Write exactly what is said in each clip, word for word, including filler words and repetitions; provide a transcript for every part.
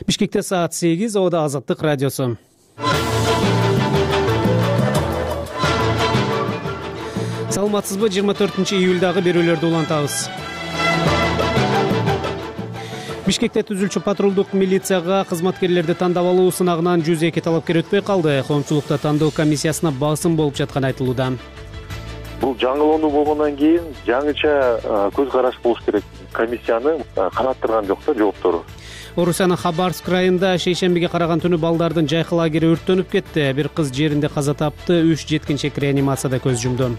Бишкекте саат сегиз, Ода Азаттык радиосу. Саламатсызбы? жыйырма төртүнчү июлдагы берүүлөрдү улантабыз. Бишкекте түзүлчү патрулдук милицияга кызматкерлерди тандап алуу сынагынан жүз эки талапкер өтпөй калды. Коомчулукта тандоо комиссиясына басым болуп жатканы айтылууда. Бул жаңылоону болгондон кийин жаңыча көз караш болуш керек. Комиссияны канаттырган жок да жооптору. Орусиянын Хабаровск районунда шейшембиге караган түнү балдардын жайкы лагери өрттөнүп кетти. Бир кыз жеринде каза тапты, үч жеткинчек реанимацияда көз жумду.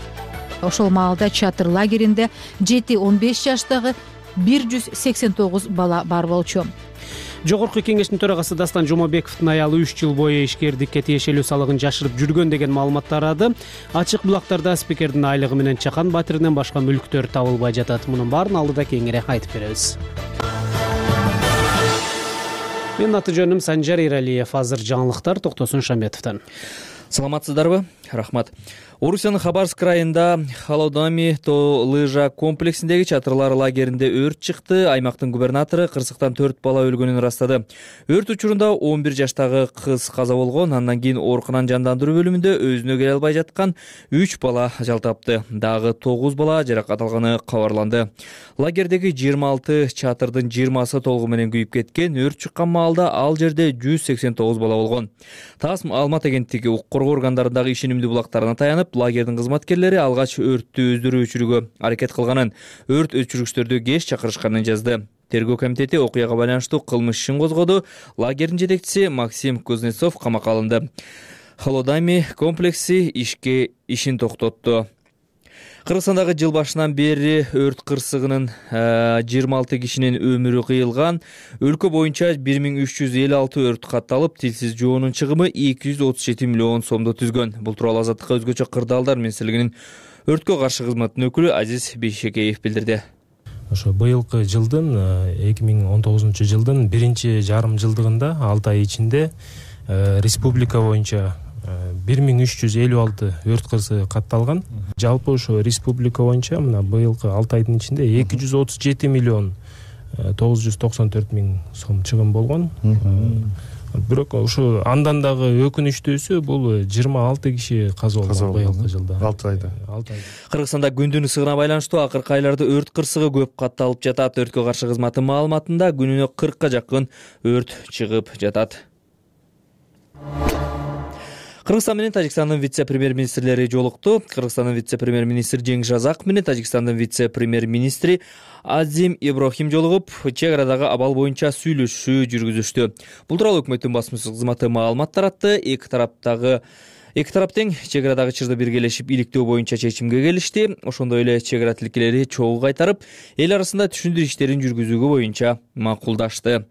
Ошол маалда чатыр лагеринде жети он беш жаштагы бир жүз сексен тогуз бала бар болчу. Жогорку кеңештин төрагасы Дастан Жомобековдун аялы үч жыл бою ишкердикке тиешелүү салыгын жашырып жүргөн деген маалымат тарады. Ачык булактарда спикердин айлыгы менен чакан батиринен башка мүлктөр табылбай жатат. Мунун баарын алдыда кеңири айтып беребиз. Менин аты жөнүм Санжар Иралиев. Азыр жаңылыктар Токтосун Шамбетовдон. Саламатсыздарбы? Рахмат. Орусиянын Хабаровск районунда Холодами то лыжа комплексиндеги чатырлар лагеринде өрт чыкты. Аймактын губернатору кырсыктан төрт бала өлгөнүн ырастады. Өрт учурунда он бир жаштагы кыз каза болгон. Андан кийин оорукананын жандандыруу бөлүмүндө өзүнө келе албай жаткан үч бала ажал тапты. Дагы тогуз бала жаракат алганы кабарланды. Лагердеги жыйырма алты чатырдын жыйырмасы толугу менен күйүп кеткен. Өрт чыккан маалда ал жерде жүз сексен тогуз бала болгон. ТАСС маалымат агенттиги укук коргоо органдарындагы ишенимдүү булактарына таянып, лагердин кызматкерлери алгач өрттү өздөрү өчүрүүгө аракет кылганын, өрт өчүргүчтөрдү кеч чакырышканын жазды. Тергөө комитети окуяга байланыштуу кылмыш ишин козгоду. Лагердин жетекчиси Максим Кузнецов камакка алынды. Холодами комплекси ишке ишин токтотту. Кыргызстандагы жыл башынан бери өрт кырсыгынын жыйырма алты кишинин өмүрү кыйылган. Өлкө боюнча бир миң үч жүз элүү алты өрт катталып, тилсиз жоонун чыгымы эки жүз отуз жети миллион сомду түзгөн. Бул тууралуу Азаттыкка өзгөчө кырдаалдар министрлигинин өрткө каршы кызматтын өкүлү Азиз Бейшекеев билдирди. Ошо быйылкы жылдын эки миң он тогузунчу жылдын биринчи жарым жылдыгында алты ай ичинде республика боюнча бир миң үч жүз элүү алты өрт кырсыгы катталган. Жалпы ошо республика боюнча мына быйылкы алты айдын ичинде эки жүз отуз жети миллион тогуз жүз токсон төрт миң сом чыгым болгон. Бирок ошо андан дагы өкүнүчтүүсү бул жыйырма алты киши каза болгон быйылкы жылда. алты айда. Кыргызстанда күндүн ысыгына байланыштуу акыркы айларда өрт кырсыгы көп катталып жатат. Өрткө каршы кызматтын маалыматында күнүнө кыркка жакын өрт чыгып жатат. Кыргызстан менен Тажикстандын вице-премьер-министрлери жолукту. Кыргызстандын вице-премьер-министри Жеңиш Жазаков менен Тажикстандын вице-премьер-министри Азим Иброхим жолугуп, чек арадагы абал боюнча сүйлөшүү жүргүзүштү. Бул тууралуу өкмөттүн басма кызматы маалымат таратты. Эки тараптагы Эки тарап тең чек арадагы чырды биргелешип иликтөө боюнча чечимге келишти. Ошондой эле чек ара тилкелери чогуу кайтарып, эл арасында түшүндүрүү иштерин жүргүзүүгө боюнча макулдашты.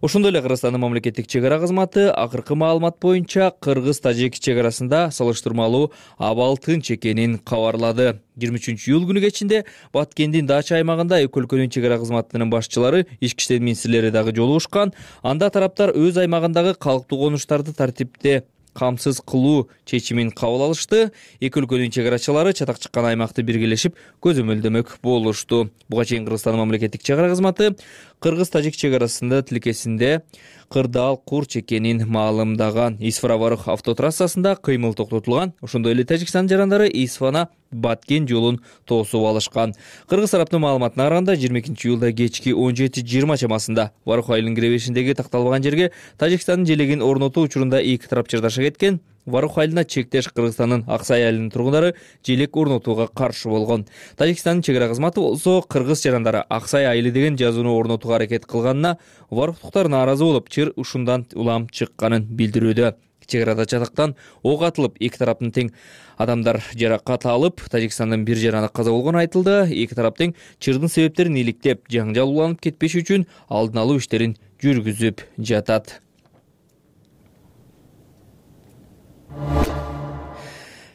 Ошондой эле Кыргызстандын мамлекеттик чек ара кызматы акыркы маалымат боюнча кыргыз-тажик чек арасында салыштырмалуу абал тынч экенин кабарлады. жыйырма үчүнчү июль күнү кечинде Баткендин Дача аймагында эки өлкөнүн чек ара кызматынын башчылары, ички иштер министрлери дагы жолугушкан. Анда тараптар өз аймагындагы калктуу конуштарды тартипте камсыз кылуу чечимин кабыл алышты. Эки өлкөнүн чек арачылары чатак чыккан аймакты биргелешип көзөмөлдөмөк болушту. Буга чейин Кыргызстандын мамлекеттик чек ара кызматы кыргыз-тажик чек арасында тилкесинде кырдаал курч экенин маалымдаган. Исфара-Варык автотрассасында кыймыл токтотулган. Ошондой эле Тажикстан жарандары Исфана Баткен жолун тоосуп алышкан. Кыргыз тараптын маалыматына караганда жыйырма экинчи июлда кечки он жети жыйырма чамасында Варык айылынын киребешиндеги такталбаган жерге Тажикстандын желегин орнотуу учурунда эки тарап чырдаша кеткен. Варык айылына чектеш Кыргызстандын Аксай айылынын тургундары желек орнотууга каршы болгон. Тажикстандын чек ара кызматы болсо кыргыз жарандары Аксай айылы деген жазууну орнотууга аракет кылганына варыктуктар нааразы болуп, чыр ушундан улам чыкканын билдирүүдө. Чек арада чатактан ок атылып, эки тараптын тең адамдар жаракат алып, Тажикстандын бир жараны каза болгону айтылды. Эки тарап тең чырдын себептерин иликтеп, жаңжал уланып кетпеш үчүн алдын алуу иштерин жүргүзүп жатат.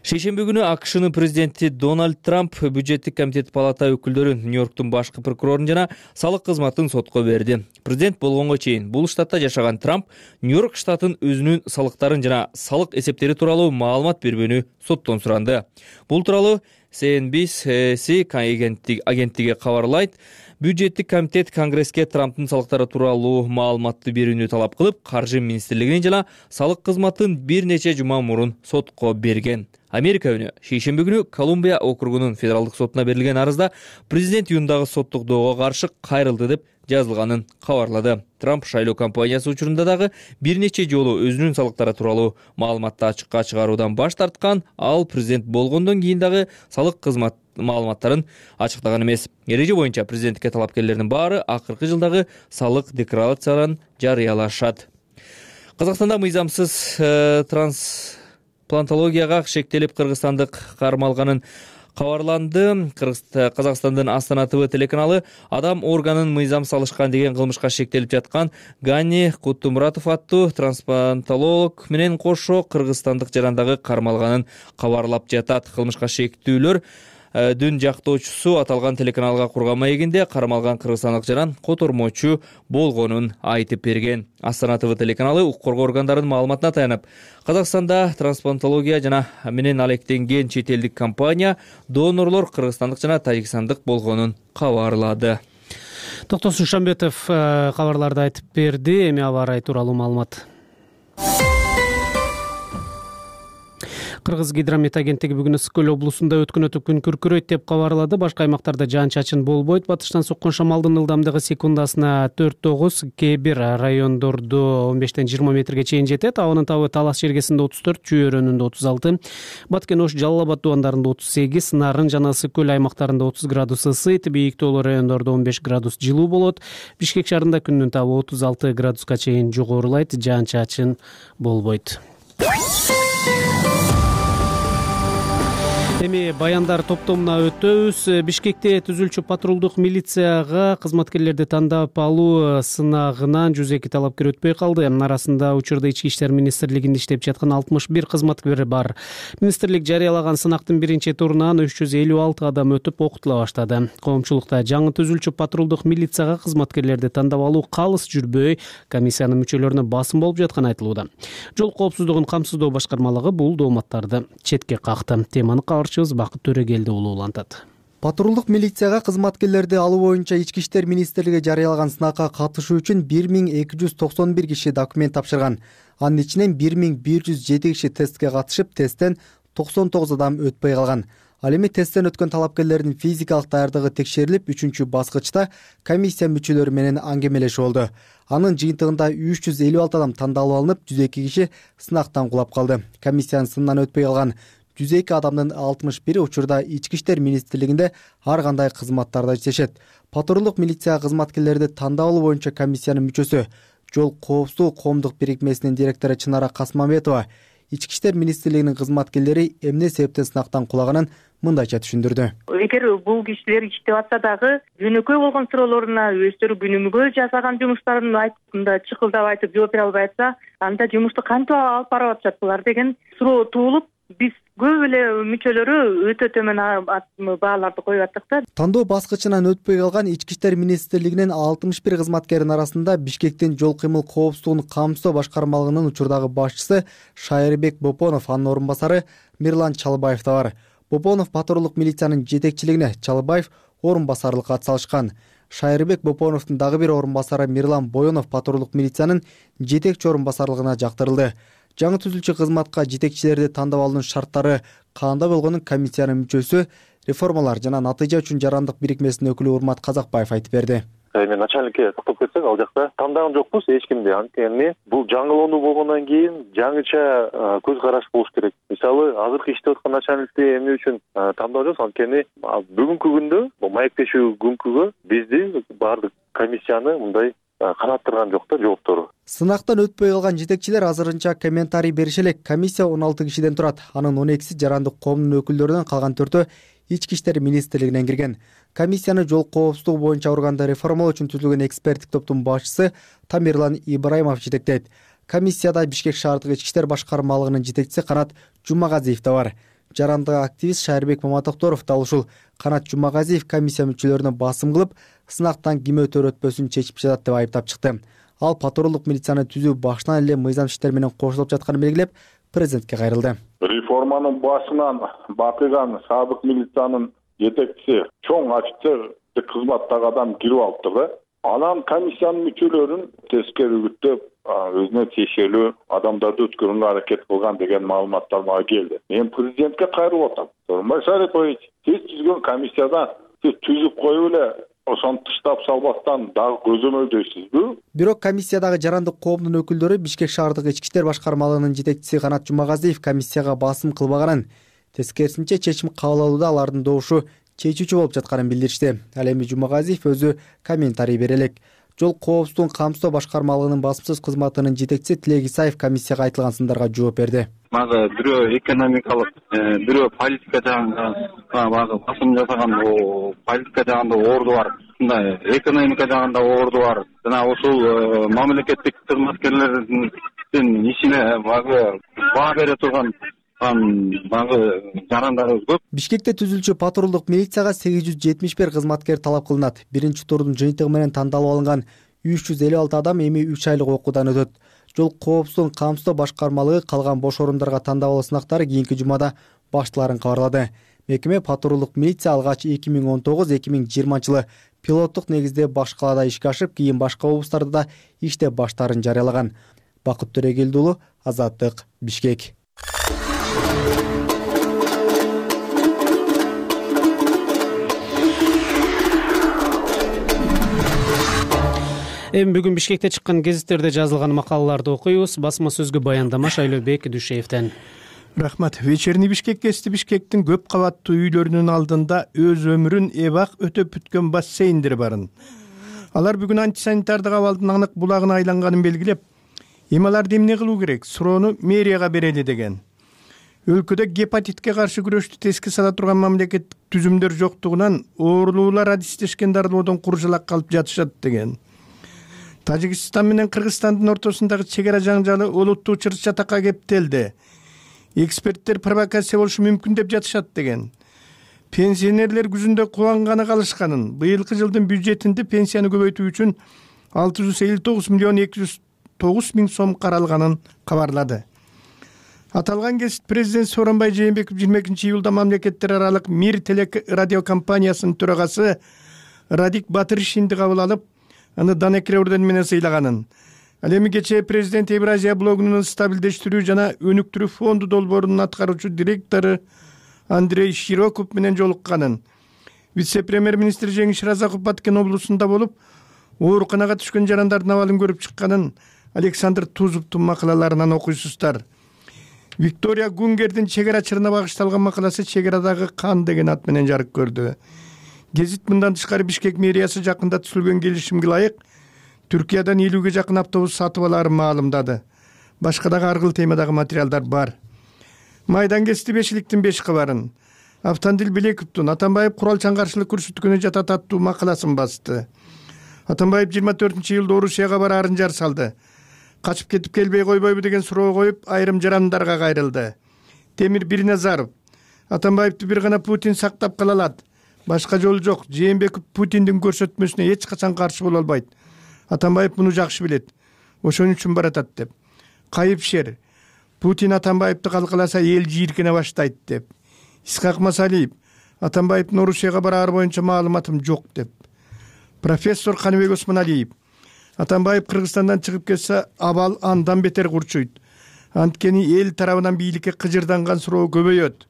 Шейшемби күнү АКШнын президенти Дональд Трамп бюджеттик комитет палата өкүлдөрүн, Нью-Йорктун башкы прокурорун жана салык кызматын сотко берди. Президент болгонго чейин бул штатта жашаган Трамп Нью-Йорк штатын өзүнүн салыктарын жана салык эсептери тууралуу маалымат бербөөнү соттон суранды. Бул тууралуу си эн би си агенттиги кабарлайт. Бюджеттик комитет Конгресске Трамптын салыктары тууралуу маалыматты берүүнү талап кылып, Каржы министрлигин жана салык кызматын бир нече жума мурун сотко берген. Америка үнү шейшемби күнү Колумбия округунун федералдык сотуна берилген арызда президент июндагы соттук доого каршы кайрылды деп жазылганын кабарлады. Трамп шайлоо кампаниясы учурунда дагы бир нече жолу өзүнүн салыктары тууралуу маалыматты ачыкка чыгаруудан баш тарткан, ал президент болгондон кийин дагы салык кызмат маалыматтарын ачыктаган эмес. Эреже боюнча президенттикке талапкерлердин баары акыркы жылдагы салык декларацияларын жарыялашат. Казакстанда мыйзамсыз э, трансплантологияга шектелип кыргызстандык кармалганын кабарланды. Казакстандын Астана ТВ телеканалы адам органын мыйзам салышкан деген кылмышка шектелип жаткан Гани Куттумуратов аттуу трансплантолог менен кошо кыргызстандык жарандагы кармалганын кабарлап жатат. Кылмышка шектүүлөр дүн жактоочусу аталган телеканалга курган маегинде кармалган кыргызстандык жаран котормочу болгонун айтып берген. Астана ТВ телеканалы укук коргоо органдарынын маалыматына таянып, Казакстанда трансплантология жана менен алектенген чет элдик компания донорлор кыргызстандык жана тажикстандык болгонун кабарлады. Токтосун Шамбетов кабарларды айтып берди. Эми аба ырайы тууралуу маалымат. Кыргыз гидромет агенттиги бүгүн Ысык көл облусунда өткүнөтүп күн күркүрөйт деп кабарлады. Башка аймактарда жаан-чачын болбойт. Батыштан соккон шамалдын ылдамдыгы секундасына төрт тогуз, кээ бир райондордо он бештен жыйырма метрге чейин жетет. Абанын табы Талас жергесинде отуз төрт, Чүй өрөөнүндө отуз алты, Баткен Ош, Жалал Абад дубандарында отуз сегиз, Нарын жана Ысык көл аймактарында отуз градус ысыйт. Бийиктүүлүү райондордо он беш градус жылуу болот. Бишкек шаарында күндүн табы отуз алты градуска чейин жогорулайт. Жаан-чачын болбойт. Эми баяндар топтомуна өтөбүз. Бишкекте түзүлчү патрулдук милицияга кызматкерлерди тандап алуу сынагынан жүз эки талапкер өтпөй калды. Арасында учурда Ички иштер министрлигинде иштеп жаткан алтымыш бир кызматкер бар. Министрлик жарыялаган сынактын биринчи турунан үч жүз элүү алты адам өтүп окутула баштады. Коомчулукта жаңы түзүлчү патрулдук милицияга кызматкерлерди тандап алуу калыс жүрбөй, комиссиянын мүчөлөрүнө басым болуп жатканы айтылууда. Жол коопсуздугун камсыздоо башкармалыгы бул дооматтарды четке какты. Теманы Бакыт Төрөгелди улуулантат. Патрулдук милицияга кызматкерлерди алуу боюнча Ички иштер министрлиги жарыялаган сынакка катышуу үчүн бир миң эки жүз токсон бир киши документ тапшырган. Анын ичинен бир миң бир жүз жети киши тестке катышып, тесттен токсон тогуз адам өтпөй калган. Ал эми тесттен өткөн талапкерлердин физикалык даярдыгы текшерилип, үчүнчү баскычта комиссия мүчөлөрү менен аңгемелешүү болду. Анын жыйынтыгында үч жүз элүү алты адам тандалып алынып, жүз эки киши сынактан кулап калды. Комиссиянын сынынан өтпөй калган жүз эки адамдын алтымыш бири учурда Ички иштер министрлигинде ар кандай кызматтарда иштешет. Патрулдук милиция кызматкерлерди тандап алуу боюнча комиссиянын мүчөсү, Жол коопсуздугу коомдук бирикмесинин директору Чынара Касмамбетова Ички иштер министрлигинин кызматкерлери эмне себептен сынактан кулаганын мындайча түшүндүрдү. Эгер бул кишилер иштеп атса дагы жөнөкөй болгон суроолоруна өздөрү күнүмгө жасаган жумуштарын айтып, мындай чыкылдап айтып жооп бере албай атса, анда жумушту кантип алып барып атышат булар деген суроо туулуп, биз көп эле мүчөлөрү өтө төмөн бааларды коюп аттык да. Тандоо баскычынан өтпөй калган Ички иштер министрлигинин алтымыш бир кызматкеринин арасында Бишкектин жол кыймыл коопсуздугун камсыздоо башкармалыгынын учурдагы башчысы Шайырбек Бопонов, анын орун басары Мирлан Чалбаев да бар. Бопонов патрулдук милициянын жетекчилигине, Чалбаев орун басарлыкка атсалышкан. Шайырбек Бопоновдун дагы бир орун басары Мирлан Боёнов патрулдук милициянын жетекчи орун басарлыгына жактырылды. Жаңы түзүлчү кызматка жетекчилерди тандап алуунун шарттары кандай болгонун комиссиянын мүчөсү, реформалар жана натыйжа үчүн жарандык бирикмесинин өкүлү Урмат Казакбаев айтып берди. Эми начальникке токтоп кетсек, ал жакта тандаган жокпуз эч кимди. Анткени бул жаңылоону болгондон кийин жаңыча көз караш болуш керек. Мисалы, азыркы иштеп аткан начальникти эмне үчүн тандап жатабыз? Анткени бүгүнкү күндө, бул маектешүү күнкүгө бизди баардык комиссияны мындай канаттырган жок да жооптору. Сынактан өтпөй калган жетекчилер азырынча комментарий берише элек. Комиссия он алты кишиден турат. Анын он экиси жарандык коомдун өкүлдөрүнөн, калган төртөө Ички иштер министрлигинен кирген. Комиссияны жол коопсуздугу боюнча органды реформалоо үчүн түзүлгөн эксперттик топтун башчысы Тамирлан Ибраимов жетектейт. Комиссияда Бишкек шаардык ички иштер башкармалыгынын жетекчиси Канат Жумагазиев да бар. Жарандык активист Шайырбек Маматокторов да ушул. Канат Жумагазиев комиссия мүчөлөрүнө басым кылып, сынактан ким өтөр өтпөсүн чечип жатат деп айыптап чыкты. Ал патрулдук милицияны түзүү башынан эле мыйзам иштер менен кошулуп жатканын белгилеп, президентке кайрылды. Реформанын башынан бакыган сабык милициянын жетекчиси, чоң офицер мамлекеттик кызматтагы адам кирип алыптыр. Анан комиссиянын мүчөлөрүн тескери үгүттөп, өзүнө тиешелүү адамдарды өткөрүүгө аракет кылган деген маалыматтар мага келди. Мен президентке кайрылып атам. Сооронбай Шарипович, сиз түзгөн комиссияда сиз түзүп коюп эле ошону тыштап салбастан дагы көзөмөлдөйсүзбү? Бирок комиссиядагы жарандык коомдун өкүлдөрү Бишкек шаардык ички иштер башкармалыгынын жетекчиси Канат Жумагазиев комиссияга басым кылбаганын, тескерисинче чечим кабыл алууда алардын добушу чечүүчү болуп жатканын билдиришти. Ал эми Жумагазиев өзү комментарий бере элек. Жол коопсуздугун камсыздоо башкармалыгынын басымсыз кызматынын жетекчиси Тилек Исаев комиссияга айтылган сындарга жооп берди. Мага бирөө экономикалык, бирөө политика жагында багы басым жасаган, политика жагында орду бар. Мындай экономика жагында орду бар. Жана ошол мамлекеттик кызматкерлердин ишине багы баа бере турган багы жарандарыбыз көп. Бишкекте түзүлчү патрулдук милицияга сегиз жүз жетимиш бир кызматкер талап кылынат. Биринчи турдун жыйынтыгы менен тандалып алынган үч жүз элүү алты адам эми үч айлык окуудан өтөт. Жол коопсуздугун камсыздоо башкармалыгы калган бош орундарга тандап алуу сынактары кийинки жумада башталарын кабарлады. Мекеме патрулдук милиция алгач эки миң он тогуз эки миң жыйырманчы жылы пилоттук негизде баш калаада ишке ашып, кийин башка облустарда да иштеп баштаарын жарыялаган. Бакыт Төрөгелди уулу, Азаттык, Бишкек. Эми бүгүн Бишкекте чыккан гезиттерде жазылган макалаларды окуйбуз. Басма сөзгө баяндама Шайлообек Дүйшеевден. Рахмат. Вечерний Бишкек гезити Бишкектин көп кабаттуу үйлөрүнүн алдында өз өмүрүн эбак өтөп бүткөн бассейндер барын. Алар бүгүн антисанитардык абалдын анык булагына айланганын белгилеп, эми аларды эмне кылуу керек, суроону мэрияга берели деген. Өлкөдө гепатитке каршы күрөштү теске сала турган мамлекеттик түзүмдөр жоктугунан оорулуулар адистешкен дарылоодон куржалак калып жатышат деген. Тажикстан менен Кыргызстандын ортосундагы чек ара жаңжалы олуттуу чыр-чатакка кептелди. Эксперттер провокация болушу мүмкүн деп жатышат деген. Пенсионерлер күзүндө кубанганы калышканын, быйылкы жылдын бюджетинде пенсияны көбөйтүү үчүн алты жүз элүү тогуз миллион эки жүз тогуз миң сом каралганын кабарлады. Аталган гезит президент Сооронбай Жээнбеков жыйырма экинчи июлда мамлекеттер аралык Мир телерадиокомпаниясынын төрагасы Радик Батыршинди кабыл алып, аны Данекре ордени менен сыйлаганын. Ал эми кечээ президент Евразия блогунун стабилдештирүү жана өнүктүрүү фонду долбоорунун аткаруучу директору Андрей Широков менен жолукканын. Вице-премьер-министр Жеңиш Разаков Баткен облусунда болуп, ооруканага түшкөн жарандардын абалын көрүп чыкканын Александр Тузовдун макалаларынан окуйсуздар. Виктория Гунгердин чек ара чырына багышталган макаласы чек арадагы кан деген ат менен жарык көрдү. Гезит мындан тышкары Бишкек мэриясы жакында түзүлгөн келишимге ылайык Түркиядан элүүгө жакын автобус сатып алаарын маалымдады. Башка дагы аргыл темадагы материалдар бар. Майдан гезити бешиликтин беш кабарын, Автандил Белековдун Атамбаев куралчан каршылык көрсөткөнү жатат аттуу макаласын басты. Атамбаев жыйырма төртүнчү июлда Орусияга бараарын жар салды. Качып кетип келбей койбойбу деген суроо коюп, айрым жарандарга кайрылды. Темир Бирназаров Атамбаевди бир гана Путин сактап кала алат. Башка жол жок. Жээнбеков Путиндин көрсөтмөсүнө эч качан каршы боло албайт. Атамбаев муну жакшы билет. Ошон үчүн баратат деп. Кайыпшер Путин Атамбаевди калкаласа эл жийиркене баштайт деп. Исхак Масалиев Атамбаевдин Орусияга бараары боюнча маалыматым жок деп. Профессор Каныбек Осмоналиев Атамбаев Кыргызстандан чыгып кетсе абал андан бетер курчуйт. Анткени эл тарабынан бийликке кыжырданган суроо көбөйөт.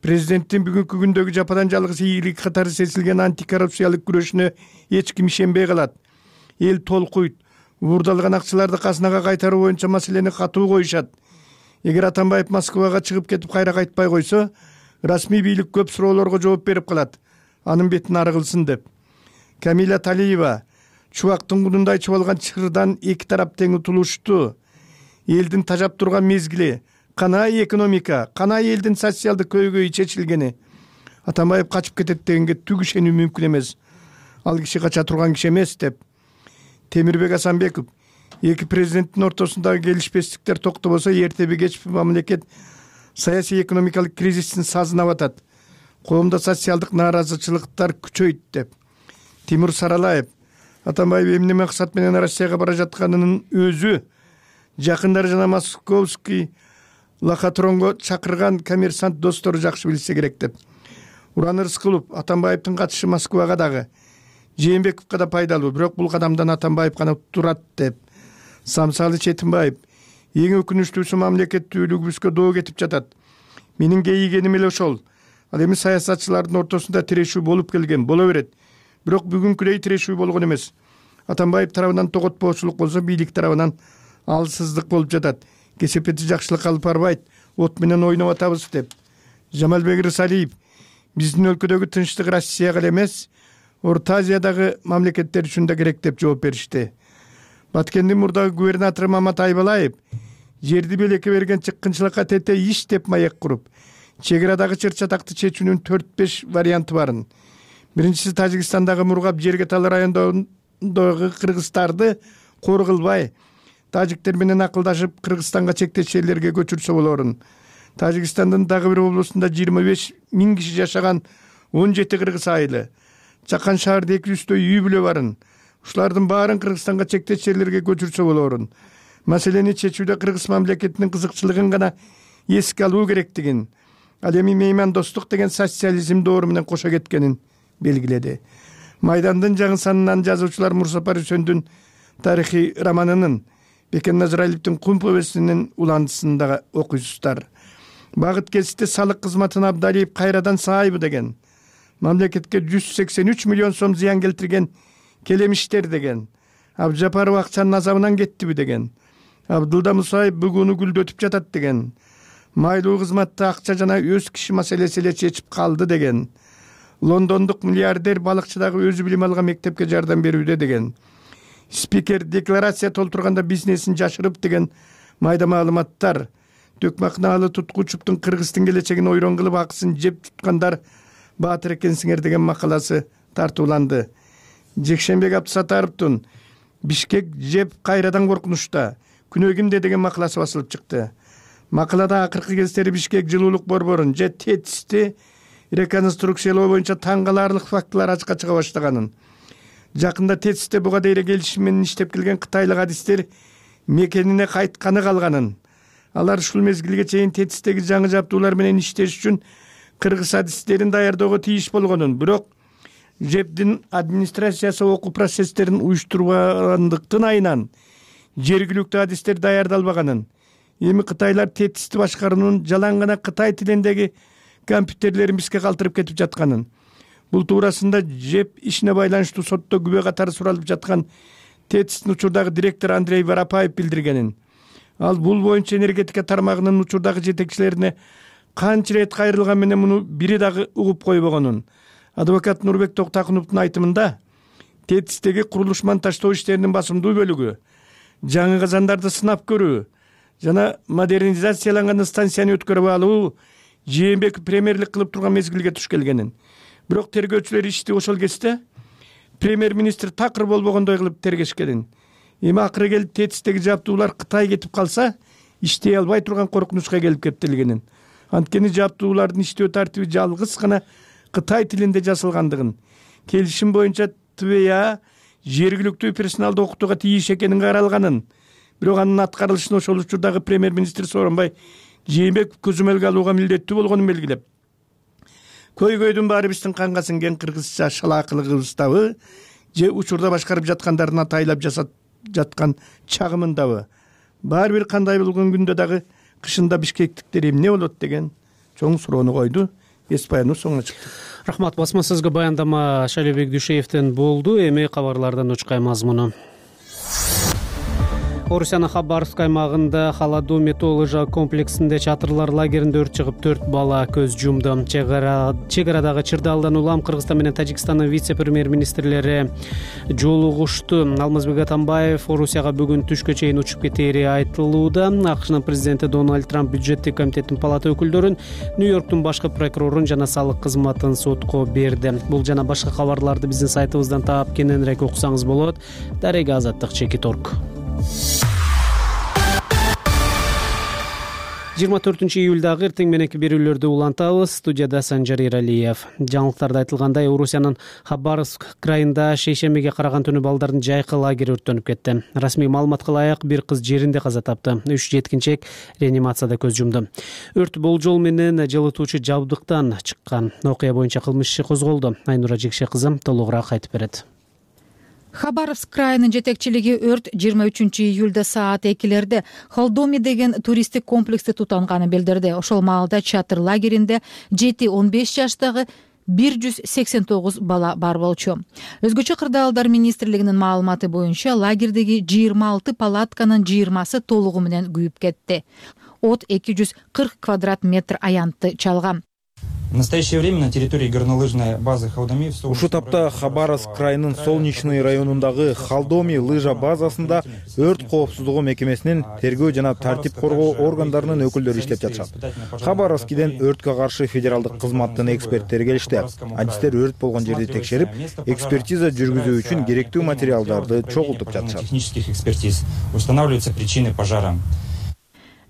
Президенттин бүгүнкү күндөгү жападан жалгыз ийгилик катары сезилген антикоррупциялык күрөшүнө эч ким ишенбей калат. Эл толкуйт. Уурдалган акчаларды казынага кайтаруу боюнча маселени катуу коюшат. Эгер Атамбаев Москвага чыгып кетип кайра кайтпай койсо, расмий бийлик көп суроолорго жооп берип калат. Анын бетин ары кылсын деп. Камила Талиева чубактын кудундай чубалган чырдан эки тарап тең утулушту. Элдин тажап турган мезгили, канай экономика, канай элдин социалдык көйгөйү чечилгени. Атамбаев качып кетет дегенге түк ишенүү мүмкүн эмес. Ал киши кача турган киши эмес деп. Темирбек Асанбеков эки президенттин ортосундагы келишпестиктер токтобосо эртеби кечпи мамлекет саясий экономикалык кризистин сазына батат. Коомдо социалдык нааразычылыктар күчөйт деп. Тимур Саралаев Атамбаев эмне максат менен Россияга бара жатканынын өзү жакындары жана Московский лохотронго чакырган коммерсант достору жакшы билсе керек деп. Уран Рыскулов Атамбаевдин катышы Москвага дагы Жээнбековго да пайдалуу, бирок бул кадамдан Атамбаев гана турат деп. Самсалы Четимбаев: эң өкүнүчтүүсү мамлекеттүүлүгүбүзгө доо кетип жатат. Менин кейигеним эле ошол. Ал эми саясатчылардын ортосунда тирешүү болуп келген, боло берет. Бирок бүгүнкүдөй тирешүү болгон эмес. Атамбаев тарабынан тоготпоочулук болсо, бийлик тарабынан алсыздык болуп жатат. Кесепети жакшылык алып барбайт, от менен ойноп атабыз деп. Жамалбек Рысалиев: биздин өлкөдөгү тынчтык Россияга эле эмес, Орто Азиядагы мамлекеттер үчүн да керек деп жооп беришти. Баткендин мурдагы губернатору Мамат Айбалаев: жерди белекке берген чыккынчылыкка тете иш деп маек куруп, чек арадагы чыр-чатакты чечүүнүн төрт беш варианты барын. Биринчиси, Тажикстандагы Мургап Жергетал районундагы кыргыздарды кор кылбай, тажиктер менен акылдашып Кыргызстанга чектеш жерлерге көчүрсө болорун. Тажикстандын дагы бир облусунда жыйырма беш миң киши жашаган он жети кыргыз айылы, Чакан шаарда эки жүздөй үй бүлө барын. Ушулардын баарын Кыргызстанга чектеш жерлерге көчүрсө болорун. Маселени чечүүдө Кыргыз мамлекетинин кызыкчылыгын гана эске алуу керектигин, ал эми меймандостук деген социализм доору менен кошо кеткенин белгиледи. Майдандын жаңы санынан жазуучулар Мурсапар Үсөндүн тарыхый романынын, Бекен Назаралиевдин Кум повестинин уландысында окуйсуздар. Багыт кесипте салык кызматын Абдалиев кайрадан саайбы деген, мамлекетке жүз сексен үч миллион сом зыян келтирген келемиштер деген, Абжапаров акчанын азабынан кеттиби деген, Абдылда Мусаев бүгүнү гүлдөтүп жатат деген, майлуу кызматты акча жана өз киши маселеси эле чечип калды деген, лондондук миллиардер балыкчыдагы өзү билим алган мектепке жардам берүүдө деген, спикер декларация толтурганда бизнесин жашырып деген майда маалыматтар, Төкмакнаалы Туткучуптун Кыргыздын келечегин ойрон кылып акысын жеп туткандар баатыр экенсиңер деген макаласы тартууланды. Жекшенбек Абдысатаровдун Бишкек жеп кайрадан коркунучта, күнөө кимде деген макаласы басылып чыкты. Макалада акыркы кездери Бишкек жылуулук борборун же тетисти реконструкциялоо боюнча таң каларлык фактылар ачыкка чыга баштаганын, жакында тетисте буга дейре келишим менен иштеп келген кытайлык адистер мекенине кайтканы калганын, алар ушул мезгилге чейин тетистеги жаңы жабдуулар менен иштеш үчүн кыргыз адистерин даярдөөгө тийиш болгонун, бирок жептин администрациясы окуу процесстерин уюштурбагандыктын айынан жергиликтүү адистер даярдалбаганын, эми кытайлар тетисти башкаруунун жалаң гана кытай тилиндеги компьютерлерин бизге калтырып кетип жатканын, бул туурасында жеп ишине байланыштуу сотто күбө катары суралып жаткан тетистин учурдагы директору Андрей Воропаев билдиргенин. Ал бул боюнча энергетика тармагынын учурдагы жетекчилерине канча ирет кайрылган менен муну бири дагы угуп койбогонун. Адвокат Нурбек Токтакуновдун айтымында, тетистеги курулуш монтаждоо иштеринин басымдуу бөлүгү жаңы казандарды сынап көрүү жана модернизацияланган станцияны өткөрүп алуу Жээнбеков премьерлик кылып турган мезгилге туш келгенин. Бирок тергөөчүлөр ишти ошол кезде премьер-министр такыр болбогондой кылып тергешкенин. Эми акыры келип тетистеги жабдуулар Кытай кетип калса, иштей албай турган коркунучка келип кептелгенин. Анткени жабдуулардын иштөө тартиби жалгыз гана Кытай тилинде жазылгандыгын, келишим боюнча Т В А жергиликтүү персоналды окутууга тийиш экенин каралганын, бирок анын аткарылышын ошол учурдагы премьер-министр Сооронбай Жээнбеков көзөмөлгө алууга милдеттүү болгонун белгилеп, көйгөйдүн баары биздин канга сиңген кыргызча шалаакылыгыбыздабы же учурда башкарып жаткандарын атайлап жасап жаткан чагымындабы, баары бир кандай болгон күндө дагы кышында бишкектиктер эмне болот деген чоң суроону койду. Эс баяныбыз соңуна чыкты. Рахмат. Басма сөзгө баяндама Шалибек Дүйшеевден болду. Эми кабарлардан учкай мазмуну. Орусиянын Хабаровск аймагында Халаду металл лыжа комплексинде чатырлар лагеринде өрт чыгып төрт бала көз жумду. Чек арадагы Чырдалдан улам Кыргызстан менен Тажикстандын вице-премьер-министрлери жолугушту. Алмазбек Атамбаев Орусияга бүгүн түшкө чейин учуп кетери айтылууда. АКШнын президенти Дональд Трамп бюджеттик комитеттин палата өкүлдөрүн, Нью-Йорктун башкы прокурорун жана салык кызматын сотко берди. Бул жана башка кабарларды биздин сайтыбыздан таап кененирээк окусаңыз болот. Дарега Азаттык Чекит Орг. жыйырма төртүнчү июлдагы эртең мененки берүүлөрдү улантабыз. Студияда Санжар Иралиев. Жаңылыктарда айтылгандай, Орусиянын Хабаровск крайында шейшембиге караган түнү балдардын жайкы лагери өрттөнүп кетти. Расмий маалыматка ылайык бир кыз жеринде каза тапты. Үч жеткинчек реанимацияда көз жумду. Өрт болжол менен жылытуучу жабдыктан чыккан. Окуя боюнча кылмыш иши козголду. Айнура Жекше кызы толугураак айтып берет. Хабаровск крайынын жетекчилиги өрт жыйырма үчүнчү июлда саат экилерде Холдоми деген туристтик комплексти тутанганын билдирди. Ошол маалда чатыр лагеринде жети он беш жаштагы бир жүз сексен тогуз бала бар болчу. Өзгөчө кырдаалдар министрлигинин маалыматы боюнча лагердеги жыйырма алты палатканын жыйырмасы толугу менен күйүп кетти. От эки жүз кырк квадрат метр аянтты чалган. В настоящее время на территории горнолыжной базы Холдоми ушул тапта Хабаровск крайынын Солнечный районундагы Холдоми лыжа базасында өрт коопсуздугу мекемесинин тергөө жана тартип коргоо органдарынын өкүлдөрү иштеп жатышат. Хабаровскиден өрткө каршы федералдык кызматтын эксперттери келишти. Адистер өрт болгон жерди текшерип, экспертиза жүргүзүү үчүн керектүү материалдарды чогултуп жатышат. Технических экспертиз устанавливаются причины пожара.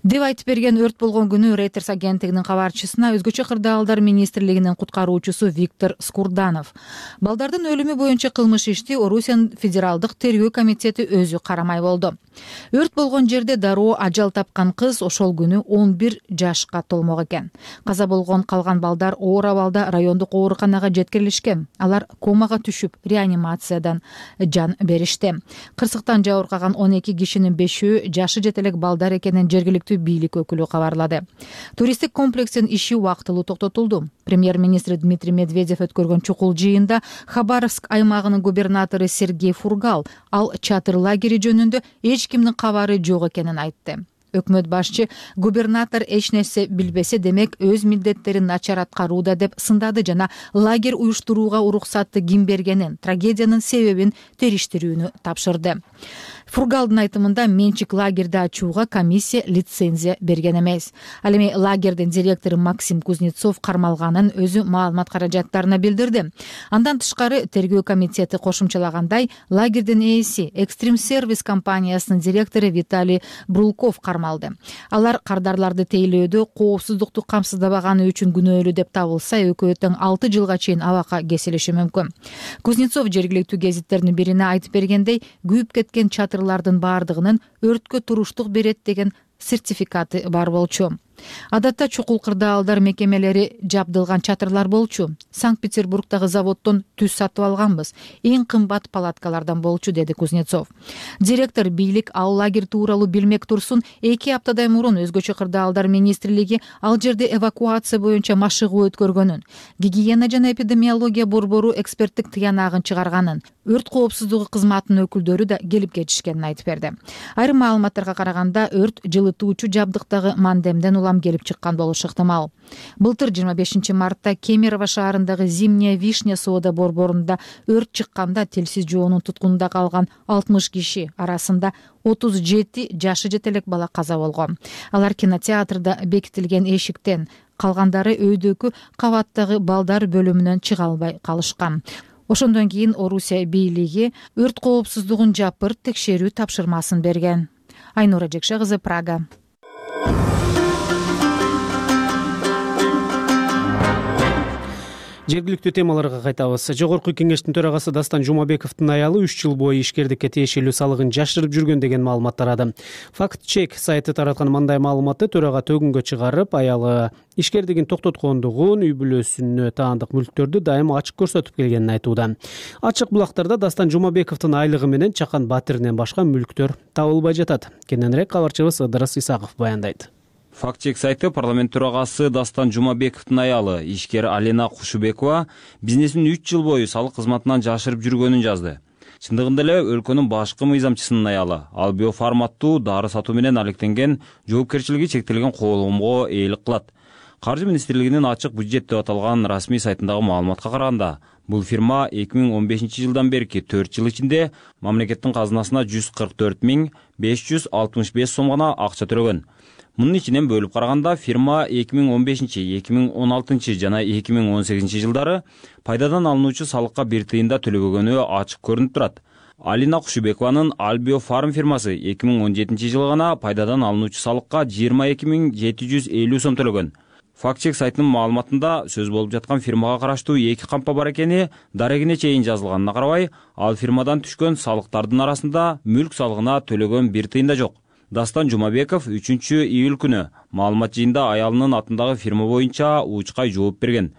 Деп айтып берген өрт болгон күнү Reuters агенттигинин кабарчысына өзгөчө кырдаалдар министрлигинин куткаруучусу Виктор Скурданов. Балдардын өлүмү боюнча кылмыш ишти Орусиянын федералдык тергөө комитети өзү карамай болду. Өрт болгон жерде дароо ажал тапкан кыз ошол күнү он бир жашка толмок экен. Каза болгон калган балдар оор абалда райондук ооруканага жеткирилишкен. Алар комага түшүп, реанимациядан жан беришти. Кырсыктан жабыркаган он эки кишинин бешөө жашы жете элек балдар экенин жергиликтүү бийлик өкүлү кабарлады. Туристтик комплекстин иши убактылуу токтотулду. Премьер-министр Дмитрий Медведев өткөргөн чукул жыйында Хабаровск аймагынын губернатору Сергей Фургал ал чатыр лагери жөнүндө эч кимдин кабары жок экенин айтты. Өкмөт башчы губернатор эч нерсе билбесе демек өз милдеттерин начар аткарууда деп сындады жана лагерь уюштурууга уруксатты ким бергенин, трагедиянын себебин териштирүүнү тапшырды. Фургалдын айтымында менчик лагерди ачууга комиссия лицензия берген эмес. Ал эми лагердин директору Максим Кузнецов кармалганын өзү маалымат каражаттарына билдирди. Андан тышкары тергөө комитети кошумчалагандай, лагердин ээси Экстрим сервис компаниясынын директору Виталий Брулков кармалды. Алар кардарларды тейлөөдө коопсуздукту камсыздабаганы үчүн күнөөлүү деп табылса, экөө тең алты жылга чейин абакка кесилиши мүмкүн. Кузнецов жергиликтүү гезиттердин бирине айтып бергендей, күйүп кеткен чатырлардын баардыгынын өрткө туруштук берет деген сертификаты бар болчу. Адатта чукул кырдаалдар мекемелери жабдылган чатырлар болчу. Санкт-Петербургдагы заводдон түз сатып алганбыз. Эң кымбат палаткалардан болчу, деди Кузнецов. Директор бийлик ал лагерь тууралуу билмек турсун, эки аптадай мурун өзгөчө кырдаалдар министрлиги ал жерде эвакуация боюнча машыгуу өткөргөнүн, гигиена жана эпидемиология борбору эксперттик тыянагын чыгарганын, өрт коопсуздугу кызматынын өкүлдөрү да келип кетишкенин айтып берди. Айрым маалыматтарга караганда өрт жылытуучу жабдыктагы мандемден улам келип чыккан болушу ыктымал. Былтыр жыйырма бешинчи мартта Кемерово шаарындагы Зимняя вишня соода борборунда өрт чыкканда телсиз жоонун туткунунда калган алтымыш киши арасында отуз жети жашы жете элек бала каза болгон. Алар кинотеатрда бекитилген эшиктен, калгандары өйдөгү кабаттагы балдар бөлүмүнөн чыга албай калышкан. Ошондон кийин Орусия бийлиги өрт коопсуздугун жапыр текшерүү тапшырмасын берген. Айнура Жекше кызы, Прага. Жергиликтүү темаларга кайтабыз. Жогорку кеңештин төрагасы Дастан Жумабековдун аялы үч жыл бою ишкердикке тиешелүү салыгын жашырып жүргөн деген маалымат тарады. Факт чек сайты тараткан мындай маалыматты төрага төгүнгө чыгарып, аялы ишкердигин токтоткондугун, үй бүлөсүнө таандык мүлктөрдү дайыма ачык көрсөтүп келгенин айтууда. Ачык булактарда Дастан Жумабековдун айлыгы менен Чакан Батиринен башка мүлктөр табылбай жатат. Кененирээк кабарчыбыз Ыдырыс Исаков баяндайт. Фактчек сайты парламент төрагасы Дастан Жумабековдун аялы, ишкер Алина Кушубекова бизнесин үч жыл бою салык кызматынан жашырып жүргөнүн жазды. Чындыгында эле өлкөнүн башкы мыйзамчысынын аялы, ал биоформаттуу дары сатуу менен алектенген жоопкерчилиги чектелген коомго ээлик кылат. Каржы министрлигинин ачык бюджет деп аталган расмий сайтындагы маалыматка караганда, бул фирма эки миң он бешинчи жылдан берки төрт жыл ичинде мамлекеттин казынасына жүз кырк төрт миң беш жүз алтымыш беш сом гана акча төлөгөн. Мунун ичинен бөлүп караганда фирма эки миң он бешинчи, эки миң он алтынчы жана эки миң он сегизинчи жылдары пайдадан алынуучу салыкка бир тыйын да төлөгөнү ачык көрүнүп турат. Алина Кушубекованын Альбио Фарм фирмасы эки миң он жетинчи жылы гана пайдадан алынуучу салыкка жыйырма эки миң жети жүз элүү сом төлөгөн. Фактчек сайтынын маалыматында сөз болуп жаткан фирмага караштуу эки кампа бар экени дарегине чейин жазылганына карабай, ал фирмадан түшкөн салыктардын арасында мүлк салыгына төлөгөн бир тыйын да жок. Дастан Жумабеков үчүнчү июль күнү маалымат жыйында аялынын атындагы фирма боюнча учкай жооп берген.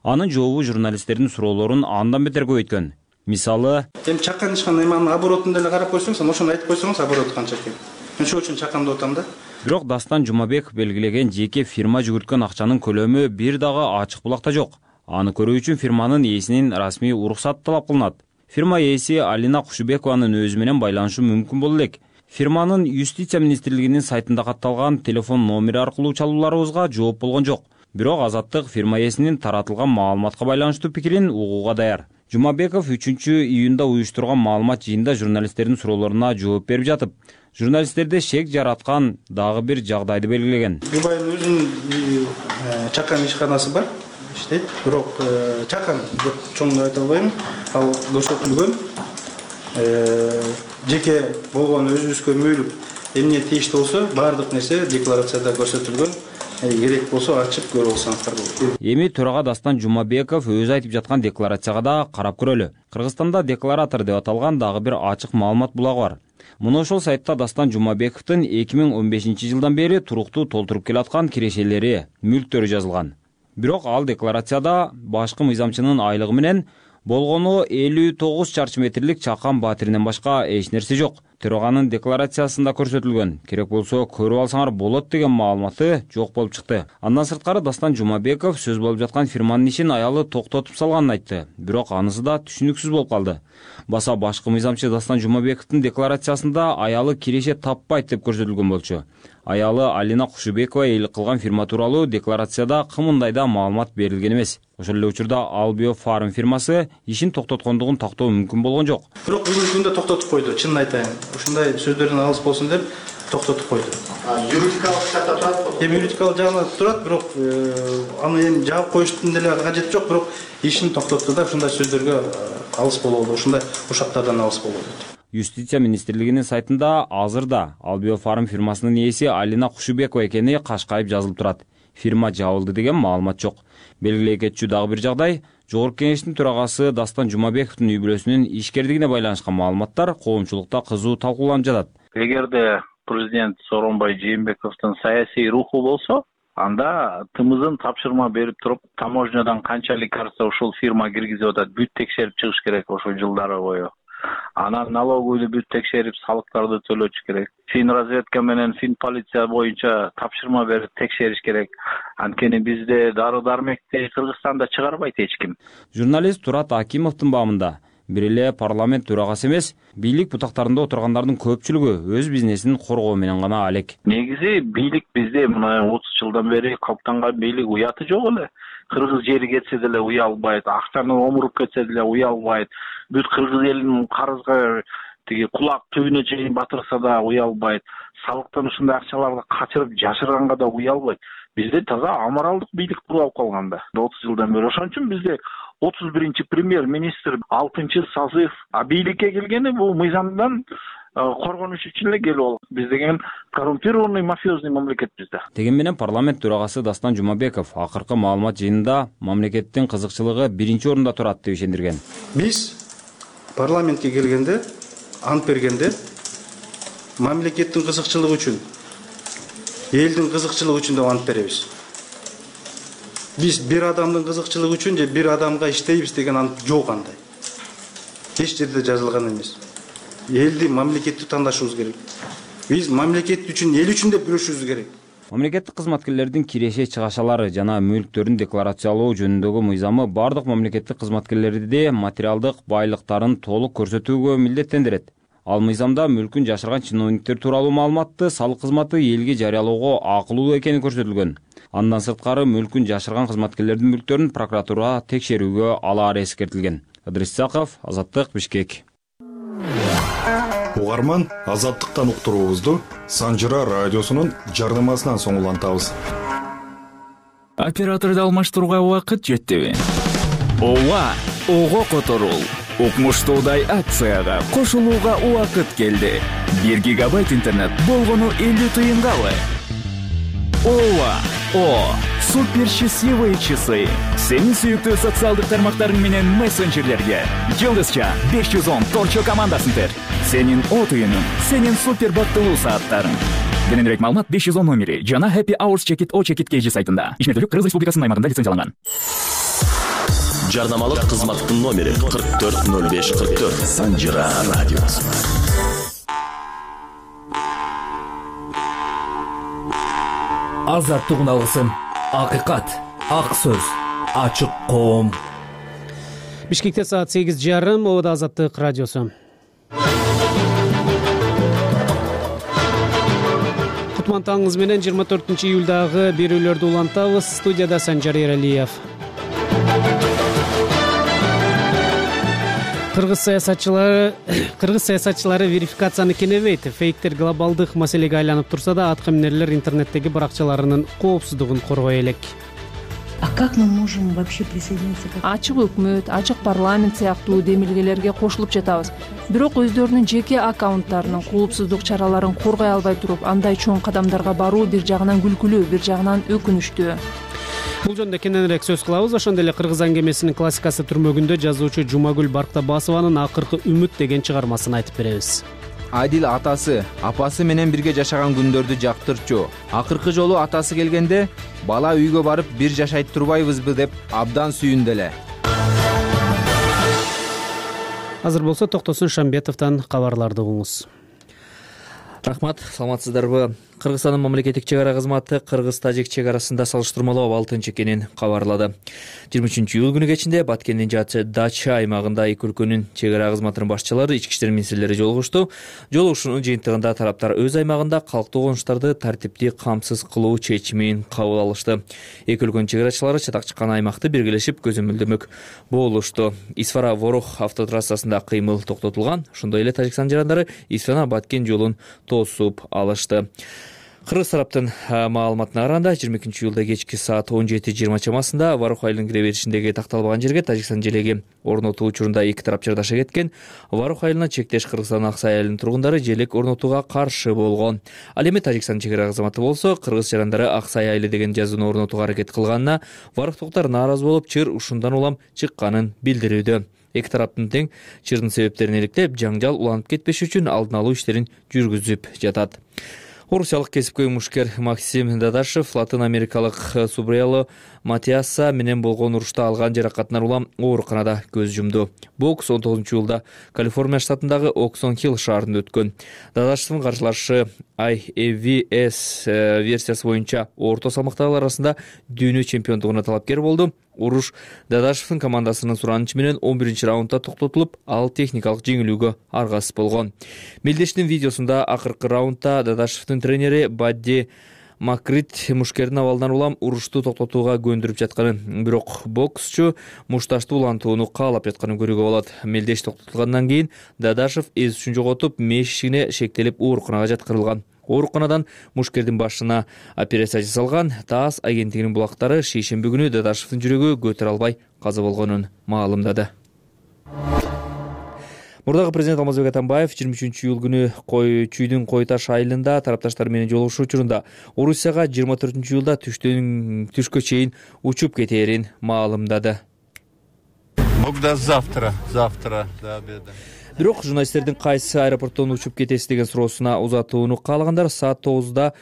Анын жообу журналисттердин суроолорун андан бетер көбөйткөн. Мисалы, эми чакан ишкандай эманын оборотун деле карап койсоңуз, ошону айтып койсоңуз обороты канча экен. Мен ошол үчүн чакан деп атам да. Бирок Дастан Жумабеков белгилеген жеке фирма жүгүрткөн акчанын көлөмү бир дагы ачык булакта жок. Аны көрүү үчүн фирманын ээсинин расмий уруксаты талап кылынат. Фирма ээси Алина Кушубекованын өзү менен байланышы мүмкүн боло элек. Фирманын Юстиция министрлигинин сайтында катталган телефон номери аркылуу чалууларыбызга жооп болгон жок. Бирок Азаттык фирма ээсинин таратылган маалыматка байланыштуу пикирин угууга даяр. Жумабеков үчүнчү июнда уюштурган маалымат жыйында журналисттердин суроолоруна жооп берип жатып, журналисттерде шек жараткан дагы бир жагдайды белгилеген. Жубайдын өзүнүн чакан ишканасы бар, иштейт. Бирок чакан деп чоң айта албайм. Ал көрсөтүлгөн жеке болгон өзүбүзгө мөйлүк эмне тийиштүү болсо, баардык нерсе декларацияда көрсөтүлгөн. Керек болсо ачып көрүп алсаңыздар болот. Эми төрага Дастан Жумабеков өзү айтып жаткан декларацияга да карап көрөлү. Кыргызстанда декларатор деп аталган дагы бир ачык маалымат булагы бар. Муну ошол сайтта Дастан Жумабековдун эки миң он бешинчи жылдан бери туруктуу толтуруп келаткан кирешелери, мүлктөрү жазылган. Бирок ал декларацияда башкы мыйзамчынын айлыгы менен болгону элүү тогуз чарчы метрлик чакан батиринен башка эч нерсе жок. Төраганын декларациясында көрсөтүлгөн, керек болсо көрүп алсаңар болот деген маалыматы жок болуп чыкты. Андан сырткары Дастан Жумабеков сөз болуп жаткан фирманын ишин аялы токтотуп салганын айтты. Бирок анысы да түшүнүксүз болуп калды. Баса башкы мыйзамчы Дастан Жумабековдун декларациясында аялы киреше таппайт деп көрсөтүлгөн болчу. Аялы Алина Кушубекова эйлик кылган фирма тууралуу декларацияда кымындай да маалымат берилген эмес. Ошол эле учурда Албио Фарм фирмасы ишин токтоткондугун тактоо мүмкүн болгон жок. Бирок бүгүнкү күндө токтотуп койду, чынын айтайын. Ушундай сөздөрдөн алыс болсун деп токтотуп койду. Юридикалык жакта турат. Эми юридикалык жагында турат, бирок аны эми жаап коюштун деле кажети жок, бирок ишин токтотту да ушундай сөздөргө алыс болобу, ушундай ушактардан алыс болобу дейт. Юстиция министрлигинин сайтында азырда Албио Фарм фирмасынын ээси Алина Кушубекова экени кашкайып жазылып турат. Фирма жабылды деген маалымат жок. Белгилей кетчү дагы бир жагдай, Жогорку Кеңештин төрагасы Дастан Жумабековдун үй бүлөсүнүн ишкердигине байланышкан маалыматтар коомчулукта кызуу талкууланып жатат. Эгерде президент Сооронбай Жээнбековдун саясий руху болсо, анда тымызын тапшырма берип туруп, таможнядан канча лекарства ушул фирма киргизип атат, бүт текшерип чыгыш керек ошол жылдары бою. Анан налоговыйды бүт текшерип, салыктарды төлөтүш керек. Фин разведка менен фин полиция боюнча тапшырма берип текшериш керек. Анткени бизде дары-дармекти Кыргызстанда чыгарбайт эч ким. Журналист Турат Акимовдун баамында бир эле парламент төрагасы эмес, бийлик бутактарында отургандардын көпчүлүгү өз бизнесин коргоо менен гана алек. Негизи бийлик бизде мына отуз жылдан бери калыптанган бийлик уяты жок эле. Кыргыз жери кетсе деле уялбайт, акчаны омуруп кетсе деле уялбайт. Бүт кыргыз элинин карызга тиги кулак түбүнө чейин батырса да уялбайт. Салыктан ушундай акчаларды качырып жашырганга да уялбайт. Бизде таза аморалдык бийлик куруп калган да отуз жылдан бери. Ошон үчүн бизде отуз биринчи премьер-министр алтынчы созыв а бийликке келгени бул мыйзамдан коргонуш үчүн эле келип алат. Биз деген коррумпированный мафиозный мамлекет бизде. Деген менен парламент төрагасы Дастан Жумабеков акыркы маалымат жыйынында мамлекеттин кызыкчылыгы биринчи орунда турат деп ишендирген. Биз парламентке келгенде, ант бергенде мамлекеттин кызыкчылыгы үчүн, элдин кызыкчылыгы үчүн деп ант беребиз. Биз бир адамдын кызыкчылыгы үчүн же бир адамга иштейбиз деген ант жок андай. Эч жерде жазылган эмес. Элди, мамлекетти тандашыбыз керек. Биз мамлекет үчүн, эл үчүн деп күрөшүбүз керек. Мамлекеттик кызматкерлердин киреше чыгашалары жана мүлктөрүн декларациялоо жөнүндөгү мыйзамы бардык мамлекеттик кызматкерлерди материалдык байлыктарын толук көрсөтүүгө милдеттендирет. Ал мыйзамда мүлкүн жашырган чиновниктер тууралуу маалыматты салык кызматы элге жарыялоого акылуу экени көрсөтүлгөн. Андан сырткары мүлкүн жашырган кызматкерлердин мүлктөрүн прокуратура текшерүүгө алаары эскертилген. Ыдрис Исаков, Азаттык, Бишкек. Угарман, Азаттыктан уктуруубузду Санжыра радиосунун жардамасынан соң улантабыз. Операторду алмаштырууга убакыт жеттиби? Ооба, ого которул. Укмуштуудай акцияга кошулууга убакыт келди. бир гигабайт интернет болгону элүү тыйынгабы? Ооба, о, супер счастливые часы. Сенин сүйүктүү социалдык тармактарың менен мессенджерлерге Жылдызча беш жүз он торчо командасын тер. Сенин о тыйының, сенин супер бактылуу сааттарың. Кененирээк маалымат беш жүз он номери жана Happy Hours Check It O Check It кей жи сайтында. Ишмердүүлүк Кыргыз Республикасынын аймагында лицензияланган. Жарнамалык кызматтын номери кырк төрт ноль беш кырк төрт. Санжыра радиосу. Азаттык үналгысын, акыйкат, ак сөз, ачык коом. Бишкекте саат сегиз жарым, Ода Азаттык радиосу. Кутман таңыңыз менен жыйырма төртүнчү июлдагы берүүлөрдү улантабыз. Студияда Санжар Эралиев. Кыргыз саясатчылары Кыргыз саясатчылары верификацияны кенебейт. Фейктер глобалдык маселеге айланып турса да, атка минерлер интернеттеги баракчаларынын коопсуздугун коргой элек. А как мы можем вообще присоединиться? Ачык өкмөт, ачык парламент сыяктуу демилгелерге кошулуп жатабыз. Бирок өздөрүнүн жеке аккаунттарынын коопсуздук чараларын коргой албай туруп, андай чоң кадамдарга баруу бир жагынан күлкүлүү, бир жагынан өкүнүчтүү. Бул жөнүндө кененирээк сөз кылабыз. Ошондой эле Кыргыз аңгемесинин классикасы түрмөгүндө жазуучу Жумагүл Барктабасованын акыркы үмүт деген чыгармасын айтып беребиз. Адил атасы, апасы менен бирге жашаган күндөрдү жактырчу. Акыркы жолу атасы келгенде, бала үйгө барып бир жашайт турбайбызбы деп абдан сүйүндү эле. Азыр болсо Токтосун Шамбетовдон кабарларды угуңуз. Рахмат, саламатсыздарбы? Кыргызстандын мамлекеттик чек ара кызматы Кыргыз-Тажик чек арасында салыштырмалуу абалтынчы экенин кабарлады. жыйырма үчүнчү июль күнү кечинде Баткендин Дача аймагында эки өлкөнүн чек ара кызматынын башчылары, ички иштер министрлери жолугушту. Жолугушуунун жыйынтыгында тараптар өз аймагында калктуу кылмыштарды тартиптүү камсыз кылуу чечимин кабыл алышты. Эки өлкөнүн чек арачылары чатак чыккан аймакты биргелешип көзөмөлдөмөк болушту. Исфара-Ворох автотрассасында кыймыл токтотулган. Ошондой эле Тажикстан жарандары Исфана-Баткен жолун тосуп алышты. Кыргыз тараптын маалыматына караганда, жыйырма экинчи июлда кечки саат он жети жыйырма чамасында Варох айылынын кире беришиндеги такталбаган жерге Тажикстан желеги орнотуу учурунда эки тарап жырдаша кеткен. Варох айылына чектеш Кыргызстан Аксай айылынын тургундары желек орнотууга каршы болгон. Ал эми Тажикстан чек ара кызматы болсо, кыргыз жарандары Аксай айылы деген жазууну орнотууга аракет кылганына варохтуктар нааразы болуп, чыр ушундан улам чыкканын билдирүүдө. Эки тараптын тең чырдын себептерин иликтеп, жаңжал уланып кетпеш үчүн алдын алуу иштерин жүргүзүп жатат. Орусиялык кесипкөй мушкер Максим Дадашев Латын Америкалык Субриало Матиаса менен болгон урушта алган жаракатынан улам ооруканада көз жумду. Бокс он тогузунчу июлда Калифорния штатындагы Оксон-Хилл шаарында өткөн. Дадашевдин каршылашы ай эф ви эс версиясы боюнча орто салмактагылар арасында дүйнө чемпиондугуна талапкер болду. Уруш Дадашевдин командасынын суранычы менен он биринчи раундда токтотулуп, ал техникалык жеңилүүгө аргасыз болгон. Мелдештин видеосунда акыркы раундда Дадашевдин тренери Бадди Макрит мушкердин абалынан улам урушту токтотууга көндүрүп жатканын, бирок боксчу мушташты улантууну каалап жатканын көрүүгө болот. Мелдеш токтотулгандан кийин Дадашев эс үчүн жоготуп, мешигине шектелип ооруканага жаткырылган. Ооруканадан мушкердин башына операция жасалган. ТАСС агенттигинин булактары шейшемби күнү Дадашевдин жүрөгү көтөрө албай каза болгонун маалымдады. Мурдагы президент Алмазбек Атамбаев жыйырма үчүнчү июль күнү Кой Чүйдүн Кой Таш айылында тарапташтар менен жолугушуу учурунда Орусияга жыйырма төртүнчү июлда түштөн түшкө чейин учуп кетээрин маалымдады. Могда завтра, завтра до обеда. Бирок журналисттердин кайсы аэропорттон учуп кетеси деген суроосуна узатууну каалагандар саат тогузда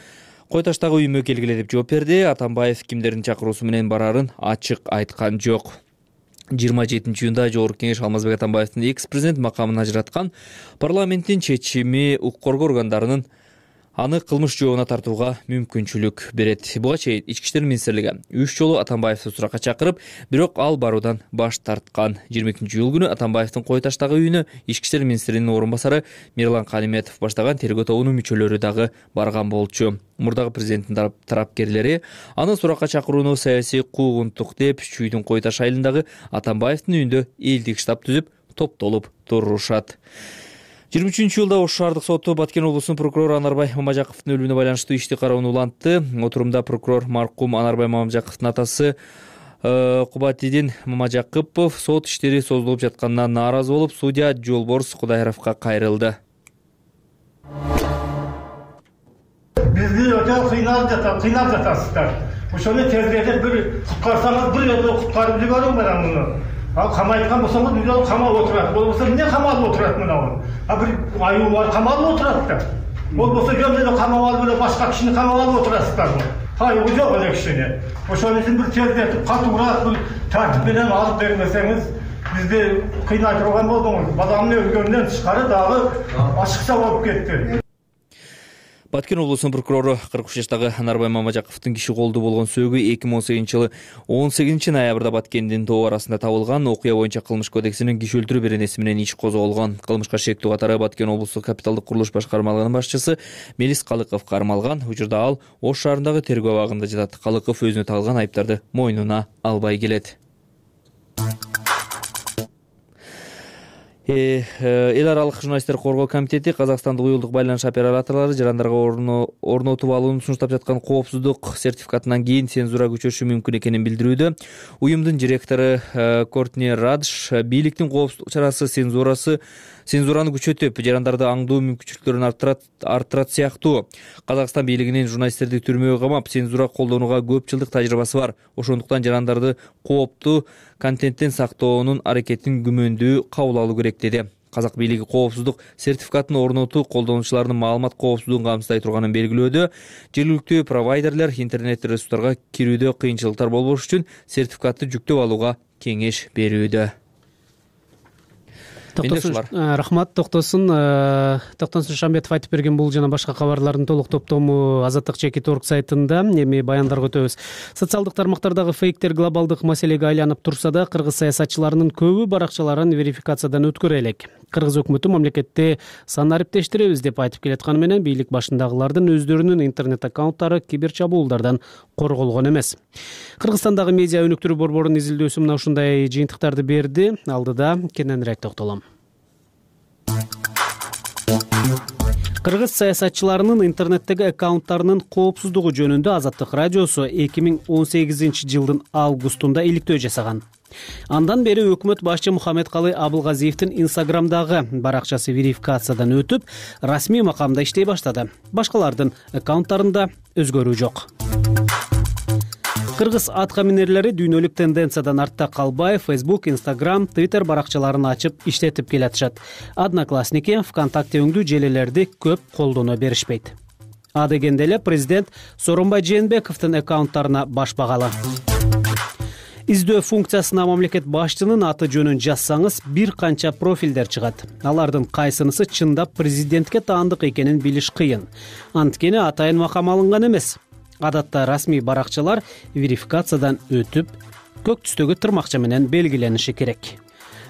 Кой Таштагы үйүмө келгиле деп жооп берди. Атамбаев кимдердин чакыруусу менен барарын ачык айткан жок. жыйырма жетинчи июнда Жогорку Кеңеш Алмазбек Атамбаевдин экс-президент макамын ажыраткан. Парламенттин чечими укук коргоо органдарынын аны кылмыш жообуна тартууга мүмкүнчүлүк берет. Буга чейин Ички иштер министрлиги үч жолу Атамбаевди суракка чакырып, бирок ал баруудан баш тарткан. жыйырма экинчи июль күнү Атамбаевдин Кой Таштагы үйүнө Ички иштер министринин орун басары Мирлан Калиметов баштаган тергөө тобунун мүчөлөрү дагы барган болчу. Мурдагы президенттин тарапкерлери аны суракка чакырууну саясий куугунтук деп, Чүйдүн Кой Таш айылындагы Атамбаевдин үйүндө элдик штаб түзүп, топтолуп турушат. жыйырма үчүнчү июлда Ош шаардык соту Баткен облусунун прокурору Анарбай Мамажаковдун өлүмүнө байланыштуу ишти кароону улантты. Отурумда прокурор маркум Анарбай Мамажаковдун атасы Кубатидин Мамажакупов сот иштери созулуп жатканына нааразы болуп, судья Жолборс Кудайровго кайрылды. Бизди өтө кыйналып жатат, кыйнап жатасыздар. Ошону тезирээк бир куткарсаңыз, бир өзү куткарып жибериң менен муну. Ал камайткан болсоңуз үйдө камалып отурат. Болбосо эмне камалып отурат мына? А бир аюу бар камалып отурат да. Болбосо жөн эле камап алып эле башка кишини камап алып отурасыздар. кайгы жок эле кичине. Ошон үчүн бир тездетип, катуураак бир тартип менен алып бермесеңиз, бизди кыйнай турган болдуңуз. Баламны өлгөндөн тышкары дагы ачыкча болуп кетти. Баткен облусунун прокурору кырк үч жаштагы Нарбай Мамажаковдун киши колдуу болгон сөөгү эки миң он сегизинчи жылы он сегизинчи ноябрда Баткендин тоо арасында табылган. Окуя боюнча кылмыш кодексинин киши өлтүрүү беренеси менен иш козголгон. Кылмышка шектүү катары Баткен облустук капиталдык курулуш башкармалыгынын башчысы Мелис Калыков кармалган. Учурда ал Ош шаарындагы тергөө абагында жатат. Калыков өзүнө тагылган айыптарды мойнуна албай келет. Эл аралык журналисттер коргоо комитети Казакстандык уюлдук байланыш операторлору жарандарга орнотуп алууну сунуштап жаткан коопсуздук сертификатынан кийин цензура күчөшү мүмкүн экенин билдирүүдө. Уюмдун директору Кортни Радж бийликтин коопсуздук чарасы цензурасы цензураны күчөтүп, жарандарды аңдуу мүмкүнчүлүктөрүн арттырат сыяктуу. Казакстан бийлигинин журналисттерди түрмөгө камап, цензура колдонууга көп жылдык тажрыйбасы бар. Ошондуктан жарандарды кооптуу контенттен сактоонун аракетин күмөндүү кабыл алуу керек деди. Казак бийлиги коопсуздук сертификатын орнотуу колдонуучулардын маалымат коопсуздугун камсыздай турганын белгилөөдө. Жергиликтүү провайдерлер интернет ресурстарга кирүүдө кыйынчылыктар болбош үчүн сертификатты жүктөп алууга кеңеш берүүдө. Рахмат, токтосун. Токтосун Шамбетов айтып берген бул жана башка кабарлардын толук топтому Азаттык чекит орг сайтында. Эми баяндарга өтөбүз. Социалдык тармактардагы фейктер глобалдык маселеге айланып турса да, кыргыз саясатчыларынын көбү баракчаларын верификациядан өткөрө элек. Кыргыз өкмөтү мамлекетте сан ариптештиребиз деп айтып келатканы менен бийлик башындагылардын өздөрүнүн интернет аккаунттары кибер чабуулдардан корголгон эмес. Кыргызстандагы медиа өнүктүрүү борборунун изилдөөсү мына ушундай жыйынтыктарды берди. Алдыда кененирээк токтолом. Кыргыз саясатчыларынын интернеттеги аккаунттарынын коопсуздугу жөнүндө Азаттык радиосу эки миң он сегизинчи жылдын августунда иликтөө жасаган. Андан бери өкмөт башчы Мухаммедкалый Абылгазиевдин Инстаграмдагы баракчасы верификациядан өтүп, расмий макамда иштей баштады. Башкалардын аккаунттарында өзгөрүү жок. Кыргыз атка минерлери дүйнөлүк тенденциядан артта калбай, Facebook, Instagram, Twitter баракчаларын ачып иштетип келатышат. Одноклассники, ВКонтакте өңдүү желелерди көп колдоно беришпейт. А дегенде эле президент Сооронбай Жээнбековдун аккаунттарына баш багалы. Издөө функциясына мамлекет башчынын аты жөнүн жазсаңыз, бир канча профилдер чыгат. Алардын кайсынысы чындап президентке таандык экенин билиш кыйын. Анткени атайын макам алынган эмес. Адатта расмий баракчалар верификациядан өтүп, көк түстөгү тырмакча менен белгилениши керек.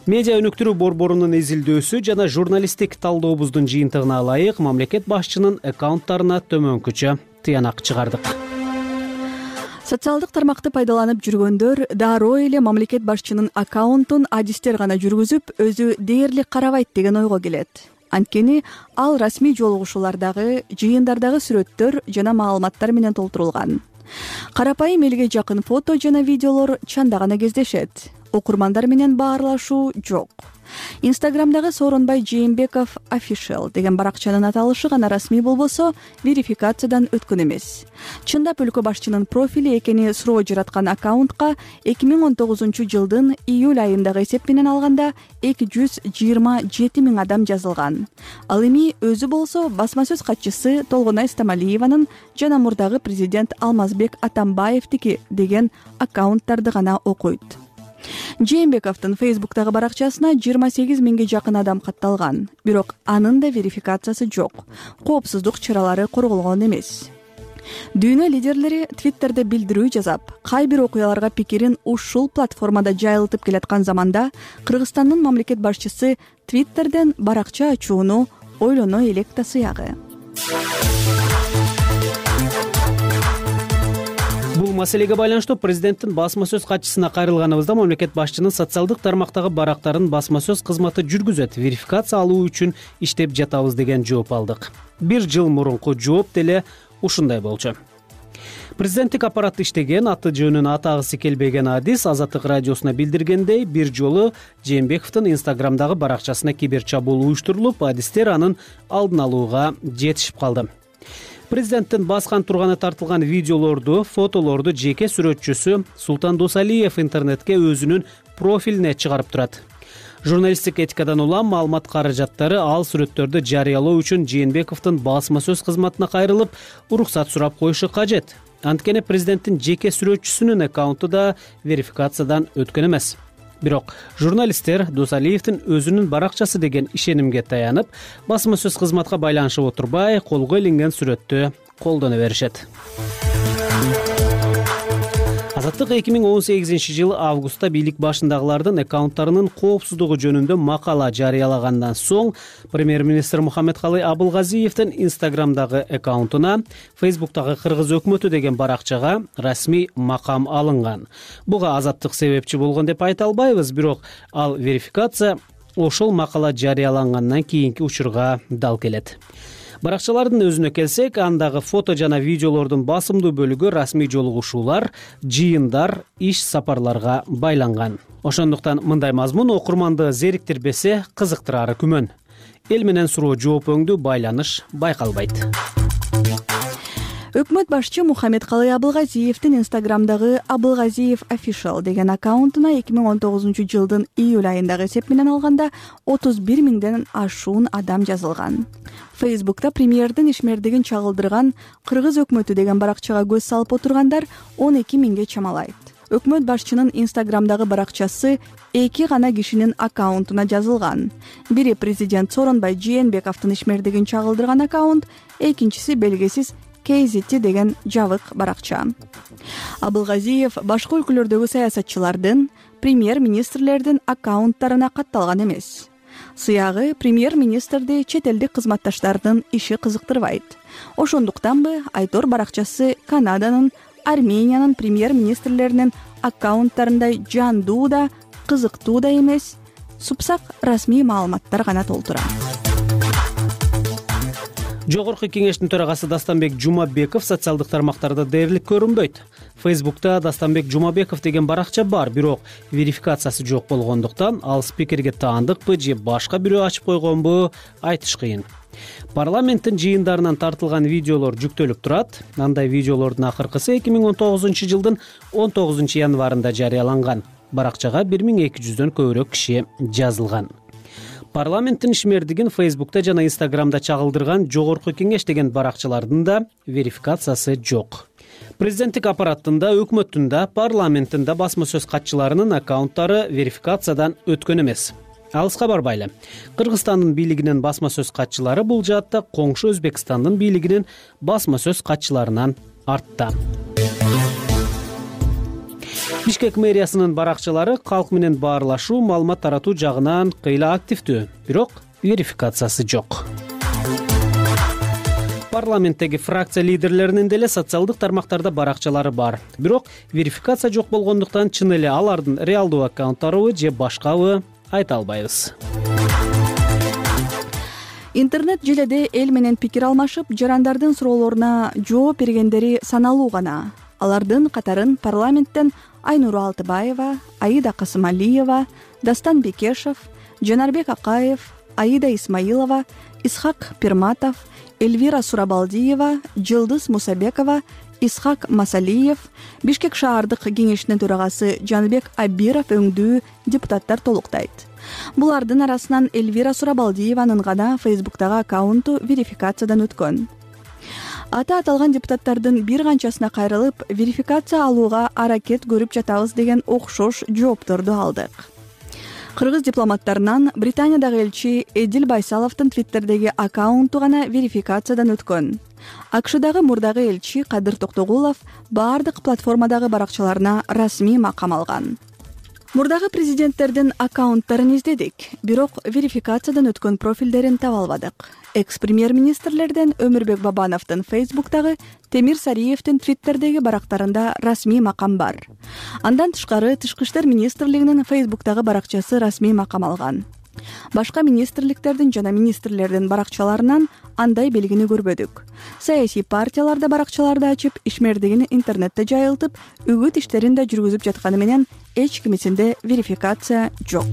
Медиа өнүктүрүү борборунун изилдөөсү жана журналисттик талдообуздун жыйынтыгына ылайык мамлекет башчынын аккаунттарына төмөнкүчө тыянак чыгардык. Социалдык тармакты пайдаланып жүргөндөр дароо эле мамлекет башчынын аккаунтун адистер гана жүргүзүп, өзү дээрлик карабайт деген ойго келет. Анткени ал расмий жолугушуулардагы, жыйындардагы сүрөттөр жана маалыматтар менен толтурулган. Карапайым элге жакын фото жана видеолор чанда гана кездешет. Окурмандар менен баарлашуу жок. Инстаграмдагы Сооронбай Жээнбеков Official деген баракчанын аталышы гана расмий болбосо, верификациядан өткөн эмес. Чындап өлкө башчынын профили экени суроо жараткан аккаунтка эки миң он тогузунчу жылдын июль айындагы эсеп менен алганда эки жүз жыйырма жети миң адам жазылган. Ал эми өзү болсо басма сөз катчысы Толгонай Стамалиеванын жана мурдагы президент Алмазбек Атамбаевдики деген аккаунттарды гана окуйт. Жээнбековдун Facebook'тагы баракчасына жыйырма сегиз миңге жакын адам катталган, бирок анын да верификациясы жок. Коопсуздук чаралары корголгон эмес. Дүйнө лидерлери Twitter'де билдирүү жасап, кай бир окуяларга пикирин ушул платформада жайылтып келаткан заманда Кыргызстандын мамлекет башчысы Twitter'ден баракча ачууну ойлоно элек да сыягы. Бул маселеге байланыштуу президенттин басма сөз катчысына кайрылганыбызда мамлекет башчынын социалдык тармактагы барактарын басма сөз кызматы жүргүзөт, верификация алуу үчүн иштеп жатабыз деген жооп алдык. Бир жыл мурунку жооп деле ушундай болчу. Президенттик аппарат иштеген, аты жөнүн атагысы келбеген адис Азаттык радиосуна билдиргендей, бир жолу Жээнбековдун Инстаграмдагы баракчасына кибер чабуул уюштурулуп, адистер анын алдын алууга жетишип калды. Президенттин баскан турганы тартылган видеолорду, фотолорду жеке сүрөтчүсү Султан Досалиев интернетке өзүнүн профилине чыгарып турат. Журналисттик этикадан улам маалымат каражаттары ал сүрөттөрдү жарыялоо үчүн Жээнбековдун басма сөз кызматына кайрылып, уруксат сурап коюшу кажет. Анткени президенттин жеке сүрөтчүсүнүн аккаунту да верификациядан өткөн эмес. Бирок журналисттер Досалиевдин өзүнүн баракчасы деген ишенимге таянып, басма сөз кызматка байланышып отурбай, колго илинген сүрөттү колдоно беришет. Азаттык эки миң он сегизинчи жылы августта бийлик башындагылардын аккаунттарынын коопсуздугу жөнүндө макала жарыялагандан соң премьер-министр Мухаммедкалый Абылгазиевдин Инстаграмдагы аккаунтуна Фейсбуктагы Кыргыз өкмөтү деген баракчага расмий макам алынган. Буга Азаттык себепчи болгон деп айта албайбыз, бирок ал верификация ошол макала жарыялангандан кийинки учурга дал келет. Баракчалардын өзүнө келсек, андагы фото жана видеолордун басымдуу бөлүгү расмий жолугушуулар, жыйындар, иш сапарларга байланган. Ошондуктан мындай мазмун окурманды зериктирбесе, кызыктырары күмөн. Эл менен суроо жооп өңдүү байланыш байкалбайт. Өкмөт башчы Мухаммедкалый Абылгазиевдин Инстаграмдагы Абылгазиев Official деген аккаунтуна эки миң он тогузунчу жылдын июль айындагы эсеп менен алганда отуз бир миңден ашуун адам жазылган. Фейсбукта премьердин ишмердигин чагылдырган Кыргыз өкмөтү деген баракчага көз салып отургандар он эки миңге чамалайт. Өкмөт башчынын Инстаграмдагы баракчасы эки гана кишинин аккаунтуна жазылган. Бири президент Сооронбай Жээнбековдун ишмердигин чагылдырган аккаунт, экинчиси белгисиз Кейзити деген жабык баракча. Абылгазиев башка өлкөлөрдөгү саясатчылардын, премьер-министрлердин аккаунттарына катталган эмес. Сыягы премьер-министрди чет элдик кызматташтардын иши кызыктырбайт. Ошондуктанбы Айтор баракчасы Канаданын, Армениянын премьер-министрлеринин аккаунттарындай жандуу да, кызыктуу да эмес, супсак расмий маалыматтар гана толтура. Жогорку кеңештин төрагасы Дастанбек Жумабеков социалдык тармактарда дээрлик көрүнбөйт. Фейсбукта Дастанбек Жумабеков деген баракча бар, бирок верификациясы жок болгондуктан ал спикерге таандыкпы же башка бирөө ачып койгонбу айтыш кыйын. Парламенттин жыйындарынан тартылган видеолор жүктөлүп турат. Андай видеолордун акыркысы эки миң он тогузунчу жылдын он тогузунчу январында жарыяланган. Баракчага бир миң эки жүздөн көбүрөөк киши жазылган. Парламенттин ишмердигин Фейсбукта жана Инстаграмда чагылдырган Жогорку кеңеш деген баракчалардын да верификациясы жок. Президенттик аппараттын да, өкмөттүн да, парламенттин да басма сөз катчыларынын аккаунттары верификациядан өткөн эмес. Алыска барбайлы. Кыргызстандын бийлигинин басма сөз катчылары бул жаатта коңшу Өзбекстандын бийлигинин басма сөз катчыларынан артта. Бишкек мэриясынын баракчалары калк менен баарлашуу, маалымат таратуу жагынан кыйла активдүү, бирок верификациясы жок. Парламенттеги фракция лидерлеринин деле социалдык тармактарда баракчалары бар, бирок верификация жок болгондуктан чын эле алардын реалдуу аккаунттарыбы же башкабы айта албайбыз. Интернет желеде эл менен пикир алмашып, жарандардын суроолоруна жооп бергендери саналуу гана. Алардын катарын парламенттен Айнура Алтыбаева, Аида Касымалиева, Дастан Бекешев, Жанарбек Акаев, Аида Исмаилова, Исхак Пирматов, Эльвира Сурабалдиева, Жылдыз Мусабекова, Исхак Масалиев, Бишкек шаардык кеңешинин төрагасы Жанбек Абиров өңдүү депутаттар толуктайт. Булардын арасынан Эльвира Сурабалдиеванын гана Фейсбуктагы аккаунту верификациядан өткөн. Ата аталган депутаттардын бир канчасына кайрылып, верификация алууга аракет көрүп жатабыз деген окшош жоопторду алдык. Кыргыз дипломаттарынан Британиядагы элчи Эдил Байсаловдун Твиттердеги аккаунту гана верификациядан өткөн. АКШдагы мурдагы элчи Кадыр Токтогулов баардык платформадагы баракчаларына расмий макам алган. Мурдагы президенттердин аккаунттарын издедик, бирок верификациядан өткөн профилдерин таба албадык. Экс-премьер-министрлерден Өмүрбек Бабановдун Фейсбуктагы, Темир Сариевдин Твиттердеги барактарында расмий макам бар. Андан тышкары Тышкы иштер министрлигинин Фейсбуктагы баракчасы расмий макам алган. Башка министрликтердин жана министрлердин баракчаларынан андай белгини көрбөдүк. Саясий партияларда баракчаларды ачып, ишмердигин интернетте жайылтып, үгүт иштерин да жүргүзүп жатканы менен эч кимисинде верификация жок.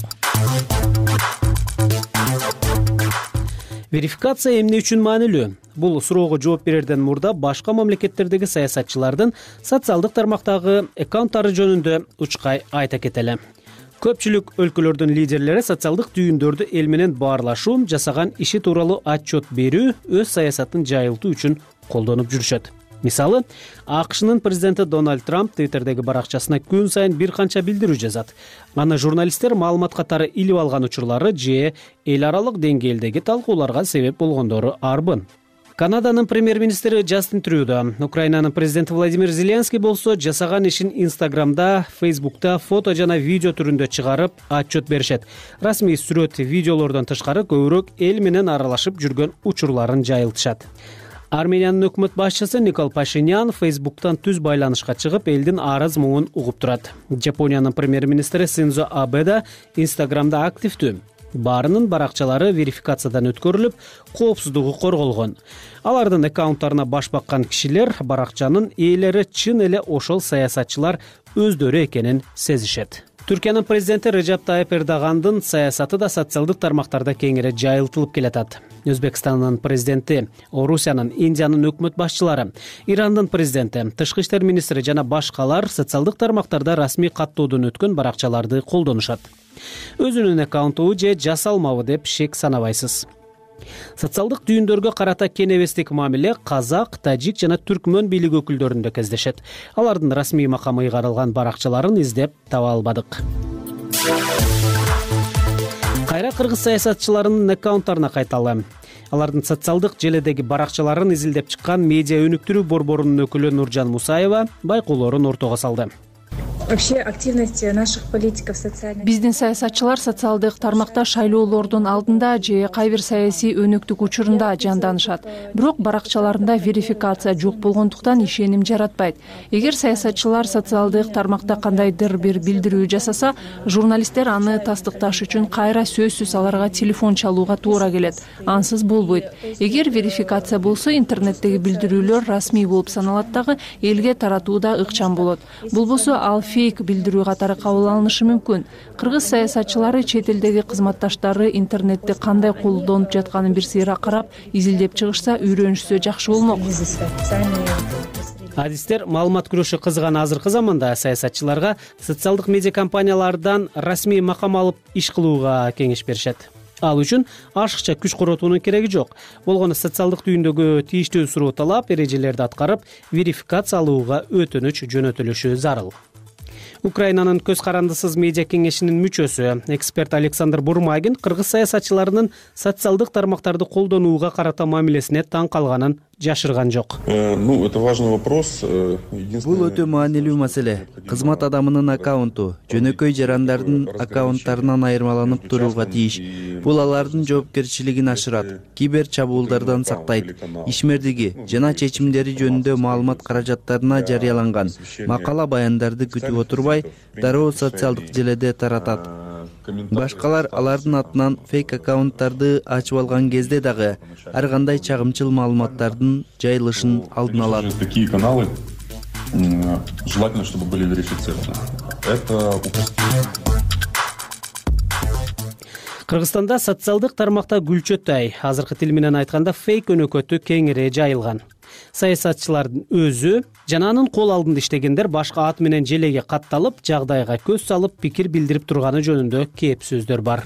Верификация эмне үчүн маанилүү? Бул суроого жооп берерден мурда башка мамлекеттердеги саясатчылардын социалдык тармактагы аккаунттары жөнүндө учкай айта кетели. Көпчүлүк өлкөлөрдүн лидерлери социалдык түйүндөрдү эл менен баарлашуу, жасаган иши тууралуу отчет берүү, өз саясатын жайылтуу үчүн колдонуп жүрүшөт. Мисалы, АКШнын президенти Дональд Трамп Twitterдеги баракчасына күн сайын бир канча билдирүү жазат. Аны журналисттер маалымат катары илип алган учурлары же эл аралык деңгээлдеги талкууларга себеп болгондору арбын. Канаданын премьер-министри Джастин Трюдо, Украинанын президенти Владимир Зеленский болсо жасаган ишин Инстаграмда, Фейсбукта фото жана видео түрүндө чыгарып отчет беришет. Расмий сүрөт, видеолордон тышкары көбүрөөк эл менен аралашып жүргөн учурларын жайылтышат. Армениянын өкмөт башчысы Никол Пашинян Фейсбуктан түз байланышка чыгып, элдин арыз муңун угуп турат. Жапониянын премьер-министри Синдзо Абе да Инстаграмда активдүү. Баарынын баракчалары верификациядан өткөрүлүп, коопсуздугу корголгон. Алардын аккаунттарына баш баккан кишилер баракчанын ээлери чын эле ошол саясатчылар өздөрү экенин сезишет. Түркиянын президенти Режеп Тайып Эрдогандын саясаты да социалдык тармактарда кеңири жайылтылып келатат. Өзбекстандын президенти, Орусиянын, Индиянын өкмөт башчылары, Ирандын президенти, тышкы иштер министри жана башкалар социалдык тармактарда расмий каттоодон өткөн баракчаларды колдонушат. Өзүнүн аккаунту же жасалмабы деп шек санабайсыз. Социалдык түйүндөргө карата кенебестик мамиле казак, тажик жана түркмөн бийлик өкүлдөрүндө кездешет. Алардын расмий макамы ыйгарылган баракчаларын издеп таба албадык. Кайра кыргыз саясатчыларынын аккаунттарына кайталы. Алардын социалдык желедеги баракчаларын изилдеп чыккан медиа өнүктүрүү борборунун өкүлү Нуржан Мусаева байкоолорун ортого салды. Вообще активность наших политиков социальных. Биздин саясатчылар социалдык тармакта шайлоолордун алдында же кай бир саясий өнөктүк учурунда жанданышат. Бирок баракчаларында верификация жок болгондуктан ишеним жаратпайт. Эгер саясатчылар социалдык тармакта кандайдыр бир билдирүү жасаса, журналисттер аны тастыкташ үчүн кайра сөзсүз аларга телефон чалууга туура келет. Ансыз болбойт. Эгер верификация болсо, интернеттеги билдирүүлөр расмий болуп саналат дагы, элге таратуу да ыкчам болот. Болбосо ал фейк билдирүү катары кабыл алынышы мүмкүн. Кыргыз саясатчылары чет элдеги кызматташтары интернетти кандай колдонуп жатканын бир сыйра карап, изилдеп чыгышса, үйрөнүшсө жакшы болмок. Адистер маалымат күрөшү кызган азыркы заманда саясатчыларга социалдык медиа компаниялардан расмий макам алып иш кылууга кеңеш беришет. Ал үчүн ашыкча күч коротуунун кереги жок. Болгону социалдык түйүндөгү тийиштүү суроо талап, эрежелерди аткарып, верификация алууга өтүнүч жөнөтүлүшү зарыл. Украинанын көз карандысыз медиа кеңешинин мүчөсү, эксперт Александр Бурмагин кыргыз саясатчыларынын социалдык тармактарды колдонууга карата мамилесине таң калганын жашырган жок. Ну, это важный вопрос. Бул өтө маанилүү маселе. Кызмат адамынын аккаунту жөнөкөй жарандардын аккаунттарынан айырмаланып турууга тийиш. Бул алардын жоопкерчилигин ашырат, кибер чабуулдардан сактайт, ишмердиги жана чечимдери жөнүндө маалымат каражаттарына жарыяланган макала баяндарды күтүп отурбай, дароо социалдык желеде таратат. Башкалар алардын атынан фейк аккаунттарды ачып алган кезде дагы ар кандай чагымчыл маалыматтардын жайылышын алдын алат. Такие каналы желательно, чтобы были верифицированы. Это Кыргызстанда социалдык тармакта гүлчөтай, азыркы тил менен айтканда фейк өнөкөтү кеңири жайылган. Саясатчылардын өзү жана анын кол алдында иштегендер башка ат менен желеге катталып, жагдайга көз салып, пикир билдирип турганы жөнүндө кеп сөздөр бар.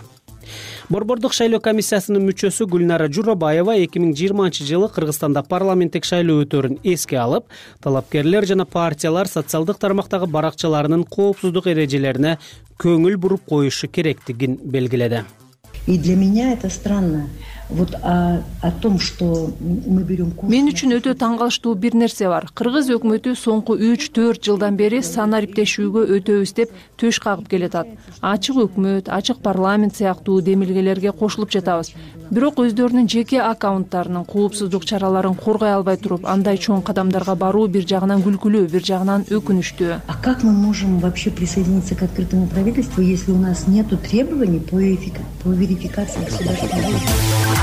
Борбордук шайлоо комиссиясынын мүчөсү Гүлнара Журабаева эки миң жыйырманчы жылы Кыргызстанда парламенттик шайлоо өтөрүн эске алып, талапкерлер жана партиялар социалдык тармактагы баракчаларынын коопсуздук эрежелерине көңүл буруп коюшу керектигин белгиледи. И для меня это странно. Вот о, о том, что мы берем курс. Мен үчүн өтө таң калыштуу бир нерсе бар. Кыргыз өкмөтү соңку үч төрт жылдан бери сан ариптешүүгө өтөбүз деп төш кагып келатат. Ачык өкмөт, ачык парламент сыяктуу демилгелерге кошулуп жатабыз. Бирок өздөрүнүн жеке аккаунттарынын коопсуздук чараларын коргой албай туруп, андай чоң кадамдарга баруу бир жагынан күлкүлүү, бир жагынан өкүнүчтүү. А как мы можем вообще присоединиться к открытому правительству, если у нас нету требований по верификации государственного?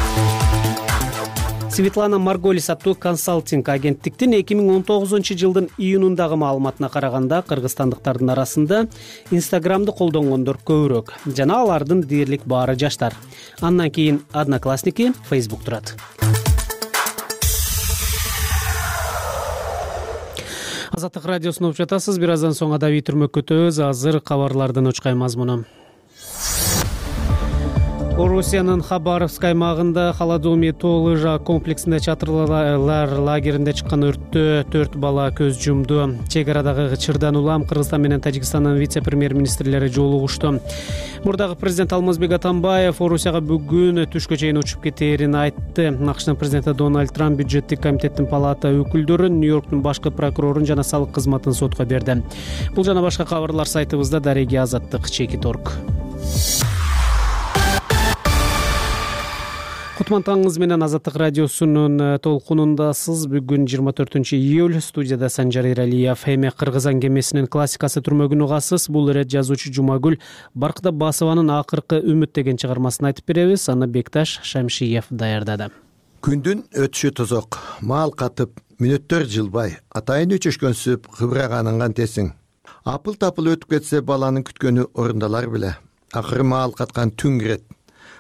Светлана Марголис аттуу консалтинг агенттиктин эки миң он тогузунчу жылдын июнундагы маалыматына караганда кыргызстандыктардын арасында Инстаграмды колдонгондор көбүрөөк жана алардын дээрлик баары жаштар. Андан кийин Одноклассники, Facebook турат. Азаттык радиосун угуп жатасыз. Бир аздан соң адабий түрмөккө өтөбүз. Азыр кабарлардын учкай мазмуну. Орусиянын Хабаровск аймагында Холодоми тоо лыжа комплексинде чатырлар лагеринде чыккан өрттө төрт бала көз жумду. Чек арадагы чырдан улам Кыргызстан менен Тажикстандын вице-премьер-министрлери жолугушту. Мурдагы президент Алмазбек Атамбаев Орусияга бүгүн түшкө чейин учуп кетээрин айтты. АКШнын президенти Дональд Трамп бюджеттик комитеттин палата өкүлдөрүн, Нью-Йорктун башкы прокурорун жана салык кызматын сотко берди. Бул жана башка кабарлар сайтыбызда. Дареги Азаттык, Чекит орг. Кутман менен Азаттык радиосунун толкунундасыз. Бүгүн жыйырма төртүнчү июль. Студияда Санжар Иралиев. Эми Кыргыз аңгемесинин классикасы түрмөгүн угасыз. Бул ирет жазуучу Жумагүл Баркыдабасованын акыркы үмүт деген чыгармасын айтып беребиз. Аны Бекташ Шамшиев даярдады. Күндүн өтүшү тозок, маал катып, мүнөттөр жылбай, атайын өчөшкөнсүп, кыбыраганын кантесиң. Апыл-тапыл өтүп кетсе баланын күткөнү орундалар беле. Акыры маал каткан түн кирет.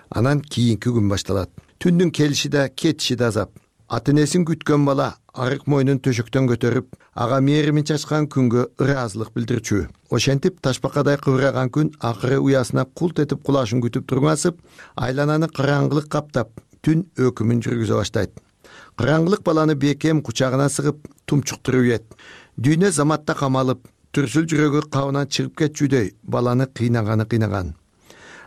Анан кийинки күн башталат. Түндүн келиши да, кетиши да азап. Ата-энесин күткөн бала арык мойнун төшөктөн көтөрүп, ага мээримин чачкан күнгө ыраазылык билдирчү. Ошентип ташбакадай кыбыраган күн акыры уясына култ этип кулашын күтүп турмасып, айлананы караңгылык каптап, түн өкүмүн жүргүзө баштайт. Караңгылык баланы бекем кучагына сыгып, тумчуктуруп ийет. Дүйнө заматта камалып, түрсүл жүрөгү кабынан чыгып кетчүдөй баланы кыйнаганы кыйнаган.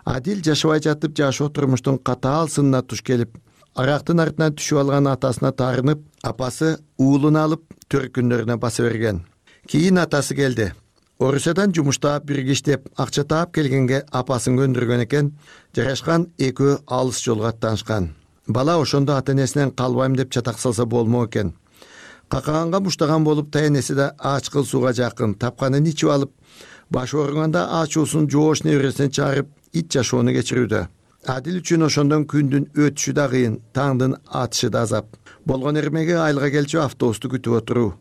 Адил жашабай жатып жашоо турмуштун катаал сынына туш келип, арактын артынан түшүп алган атасына таарынып, апасы уулун алып төркүндөрүнө баса берген. Кийин атасы келди. Орусиядан жумуштап бирге иштеп, акча таап келгенге апасын көндүргөн экен, жарашкан экөө алыс жолго аттанышкан. Бала ошондо ата-энесинен калбайм деп чатак салса болмо экен. Какаганга муштаган болуп, тайенеси да ачкыл сууга жакын, тапканын ичип алып, баш ооруганда ачуусун жоош небересине чыгарып, ит жашоону кечирүүдө. Адил үчүн ошондон күндүн өтүшү да кыйын, таңдын атышы да азап. Болгон эрмеге айылга келчү автобусту күтүп отуруу.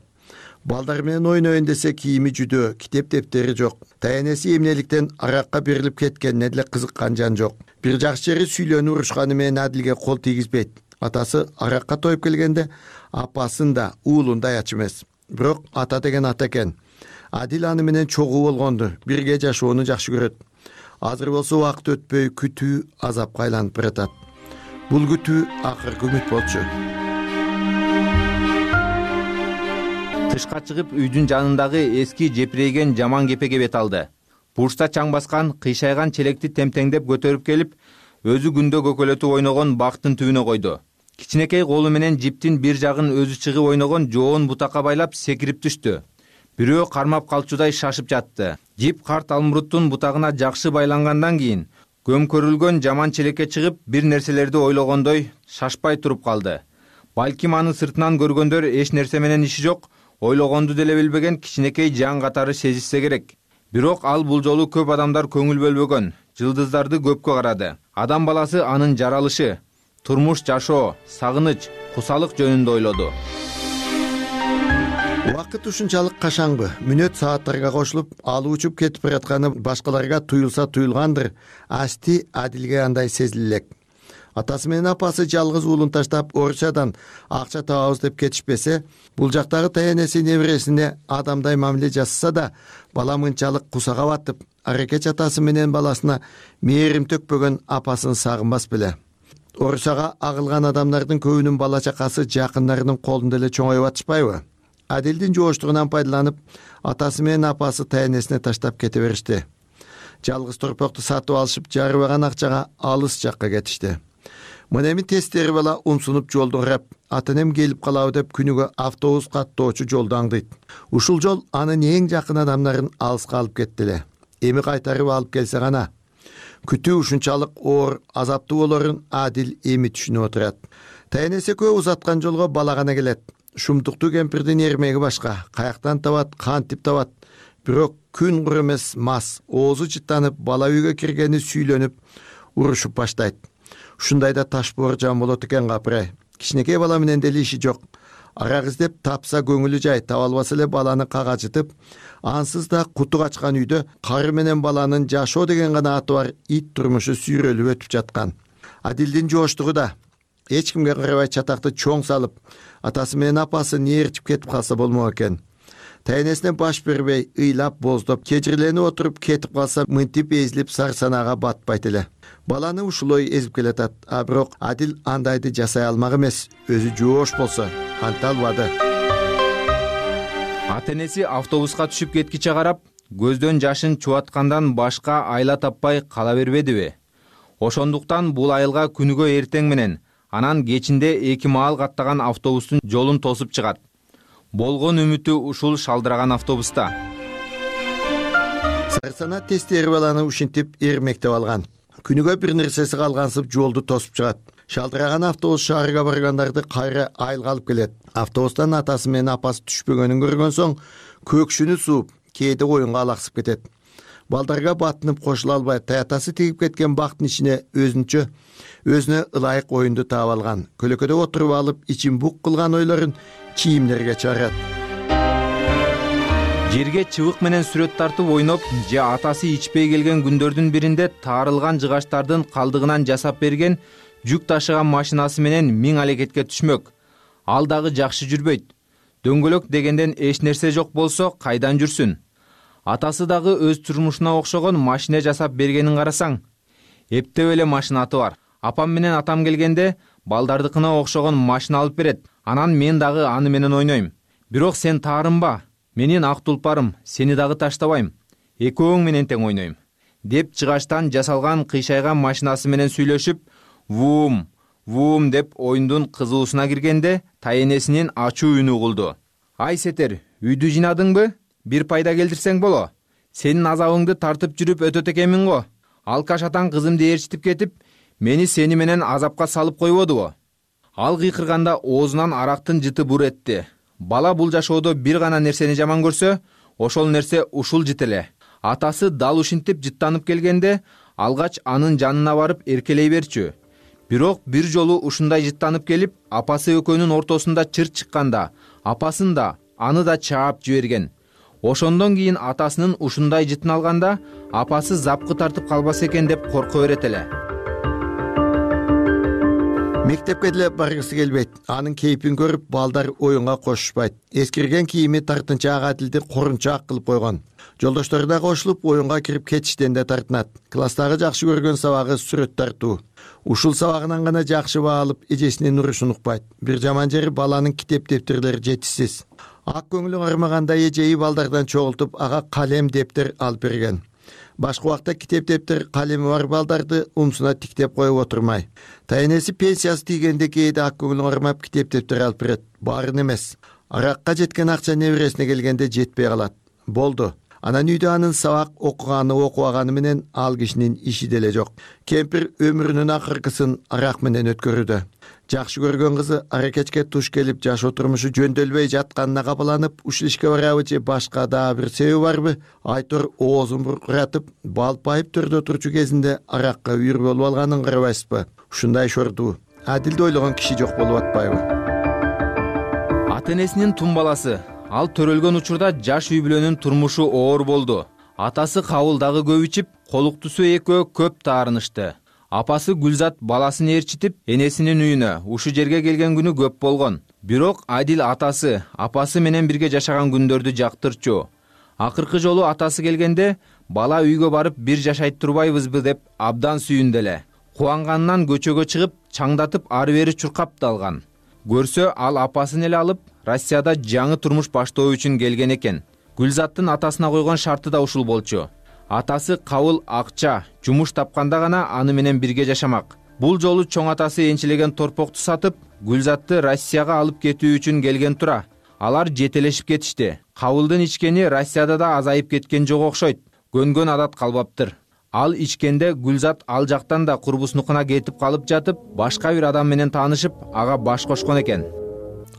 Балдар менен ойнойн десе кийими жүдөө, китеп дептери жок. Тайенеси эмнеликтен аракка берилип кеткенине деле кызыккан жан жок. Бир жакшы жери сүйлөнүп урушканы менен Адилге кол тийгизбейт. Атасы аракка тоюп келгенде апасын да уулун да аячы эмес. Бирок ата деген ата экен. Адил аны менен чогуу болгонду, бирге жашоону жакшы көрөт. Азыр болсо убакыт өтпөй күтүү азапка айланып баратат. Бул күтүү акыркы үмүт болчу. Тышка чыгып үйдүн жанындагы эски жепирейген жаман кепеге бет алды. Бурчта чаң баскан, кыйшайган челекти темтеңдеп көтөрүп келип, өзү күндө көкөлөтүп ойногон бактын түбүнө койду. Кичинекей колу менен жиптин бир жагын өзү чыгып ойногон жоон бутакка байлап секирип түштү. Бирөө кармап калчудай шашып жатты. Жип карт алмуруттун бутагына жакшы байлангандан кийин көмкөрүлгөн жаман челекке чыгып бир нерселерди ойлогондой шашпай туруп калды. Балким аны сыртынан көргөндөр эч нерсе менен иши жок, ойлогонду деле билбеген кичинекей жан катары сезишсе керек. Бирок ал бул жолу көп адамдар көңүл бөлбөгөн, жылдыздарды көпкө карады. Адам баласы анын жаралышы, турмуш жашоо, сагыныч, кусалык жөнүндө ойлоду. Убакыт ушунчалык кашаңбы, мүнөт сааттарга кошулуп, алып учуп кетип баратканы башкаларга туюлса туюлгандыр, асти Адилге андай сезилелек. Атасы менен апасы жалгыз уулун таштап Орусиядан акча табабыз деп кетишпесе, бул жактагы тайенеси небересине адамдай мамиле жасаса да, бала мынчалык кусага батып, аракеч атасы менен баласына мээрим төкпөгөн апасын сагынбас беле. Орусияга агылган адамдардын көбүнүн бала чакасы жакындарынын колунда эле чоңоюп атышпайбы? Адилдин жооштугунан пайдаланып, атасы менен апасы тайенесине таштап кете беришти. Жалгыз торпокту сатып алышып, жарыбаган акчага алыс жакка кетишти. Мына эми тестери бала умсунуп жолдон карап, ата-энем келип калабы деп күнүгө автобус каттоочу жолду аңдыйт. Ушул жол анын эң жакын адамдарын алыска алып кетти эле. Эми кайтарып алып келсе гана. Күтүү ушунчалык оор, азаптуу болорун Адил эми түшүнүп отурат. Тайенеси экөө узаткан жолго бала гана келет. Шумтуктуу кемпирдин эрмеги башка, каяктан табат, кантип табат. Бирок күн кур эмес мас, оозу жыттанып, бала үйгө киргени сүйлөнүп, урушуп баштайт. Ушундайда таш боор жан болот экен капырай. Кичинекей бала менен деле иши жок. Арак издеп тапса көңүлү жай, таба албаса эле баланы кагажытып, ансыз да куту качкан үйдө кары менен баланын жашоо деген гана аты бар ит турмушу сүйрөлүп өтүп жаткан. Адилдин жооштугу да эч кимге карабай чатакты чоң салып, атасы менен апасы нээрчип кетип калса болмок экен. тайнесине баш бербей ыйлап боздоп кежирленип отуруп кетип калса мынтип эзилип сарсанага батпайт эле. Баланы ушулой эзип келатат, а бирок Адил андайды жасай алмак эмес. Өзү жоош болсо анта албады. Ата энеси автобуска түшүп кеткиче карап, көздөн жашын чубаткандан башка айла таппай кала бербедиби? Ошондуктан бул айылга күнүгө эртең менен, анан кечинде эки маал каттаган автобустун жолун тосуп чыгат. Болгон үмүтү ушул шалдыраган автобуста. Сарсана тестери баланы ушинтип эрмектеп алган. Күнүгө бир нерсеси калгансып жолду тосуп чыгат. Шалдыраган автобус шаарга баргандарды кайра айылга алып келет. Автобустан атасы менен апасы түшпөгөнүн көргөн соң көкшүнү сууп, кээде оюнга алаксып кетет. Балдарга батынып кошула албай, таятасы тигип кеткен бактын ичине өзүнчө өзүнө ылайык оюнду таап алган. Көлөкөдө отуруп алып, ичин бук кылган ойлорун кийимдерге чыгарат. Жерге чыбык менен сүрөт тартып ойноп, же атасы ичпей келген күндөрдүн биринде таарылган жыгачтардын калдыгынан жасап берген жүк ташыган машинасы менен миң алекетке түшмөк. Ал дагы жакшы жүрбөйт. Дөңгөлөк дегенден эч нерсе жок болсо кайдан жүрсүн? Атасы дагы өз турмушуна окшогон машина жасап бергенин карасаң, эптеп эле машинаты бар. Апам менен атам келгенде балдардыкына окшогон машина алып берет. Анан мен дагы аны менен ойнойм. Бирок сен таарынба. Менин ак тулпарым, сени дагы таштабайм. Экөөң менен тең ойнойм. Деп жыгачтан жасалган кыйшайган машинасы менен сүйлөшүп, вум, вум деп оюндун кызуусуна киргенде, тайенесинин ачуу үнү угулду. Ай Сетер, үйдү жинадыңбы? Бир пайда келтирсең боло. Сенин азабыңды тартып жүрүп өтөт экенмин го. Алкаш атаң кызымды ээрчитип кетип, мени сени менен азапка салып койбодубу? Ал кыйкырганда оозунан арактын жыты бур этти. Бала бул жашоодо бир гана нерсени жаман көрсө, ошол нерсе ушул жыт эле. Атасы дал ушинтип жыттанып келгенде, алгач анын жанына барып эркелей берчү. Бирок бир жолу ушундай жыттанып келип, апасы экөөнүн ортосунда чыр чыкканда, апасын да, аны да чаап жиберген. Ошондон кийин атасынын ушундай жытын алганда, апасы запкы тартып калбас экен деп корко берет эле. Мектепке деле баргысы келбейт. Анын кейпин көрүп, балдар оюнга кошушпайт. Эскирген кийими тартынчаак Адилди корунчаак кылып койгон. Жолдоштору да кошулуп, оюнга кирип кетиштен да тартынат. Класстагы жакшы көргөн сабагы сүрөт тартуу. Ушул сабагынан гана жакшы баа алып, эжесинин урушун укпайт. Бир жаман жери баланын китеп дептерлери жетишсиз. Ак көңүлү кармаганда эжеи балдардан чогултуп, ага калем дептер алып берген. Башка убакта китеп дептер калеми бар балдарды умсуна тиктеп коюп отурмай. Тайнеси пенсиясы тийгенде кээде ак көңүлү кармап китеп дептер алып берет. Баарын эмес. Аракка жеткен акча небересине келгенде жетпей калат. Болду. Анан үйдө анын сабак окуганы окубаганы менен ал кишинин иши деле жок. Кемпир өмүрүнүн акыркысын арак менен өткөрүүдө. Жакшы көргөн кызы аракечке туш келип, жашоо турмушу жөндөбөй жатканына капаланып, ушул ишке барабы же башка дагы бир себеби барбы? Айтор оозун буркуратып, балпайып төрдө турчу кезинде аракка үйүр болуп алганын карабайсызбы? Ушундай шордуу, Адилди ойлогон киши жок болуп атпайбы? Ата энесинин тун баласы. Ал төрөлгөн учурда жаш үй бүлөнүн турмушу оор болду. Атасы кабыл дагы көп ичип, колуктусу экөө көп таарынышты. Апасы Гүлзат баласын ээрчитип, энесинин үйүнө ушу жерге келген күнү көп болгон. Бирок Адил атасы, апасы менен бирге жашаган күндөрдү жактырчу. Акыркы жолу атасы келгенде, бала үйгө барып бир жашайт турбайбызбы деп абдан сүйүндү эле. Кубанганынан көчөгө чыгып, чаңдатып ары бери чуркап да алган. Көрсө, ал апасын эле алып, Россияда жаңы турмуш баштоо үчүн келген экен. Гүлзаттын атасына койгон шарты да ушул болчу. Атасы кабыл акча, жумуш тапканда гана аны менен бирге жашамак. Бул жолу чоң атасы энчилеген торпокту сатып, Гүлзатты Россияга алып кетүү үчүн келген тура. Алар жетелешип кетишти. Кабылдын ичкени Россияда да азайып кеткен жок окшойт. Көнгөн адат калбаптыр. Ал ичкенде Гүлзат ал жактан да курбуснукуна кетип калып жатып, башка бир адам менен таанышып, ага баш кошкон экен.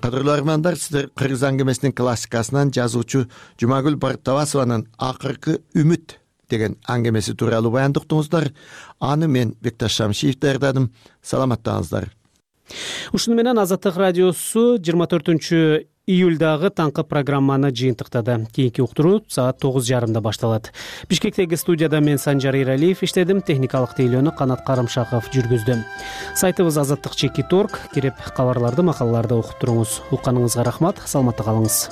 Кадырлуу армандар, сиздер кыргыз аңгемесинин классикасынан жазуучу Жумагүл Бартабасованын Акыркы үмүт деген аңгемеси тууралуу баяндап уктуңуздар. Аны мен Бекташ Шамшиев даярдадым. Саламаттаңыздар. Ушуну менен Азаттык радиосу жыйырма төртүнчү июлдагы таңкы программаны жыйынтыктады. Кийинки уктуруу саат тогуз жарымда башталат. Бишкектеги студияда мен Санжар Иралиев иштедим, техникалык тейлөөнү Канат Карымшаков жүргүздү. Сайтыбыз азаттык чекит точка орг, кирип кабарларды, макалаларды окуп туруңуз. Укканыңызга рахмат, саламатта калыңыз.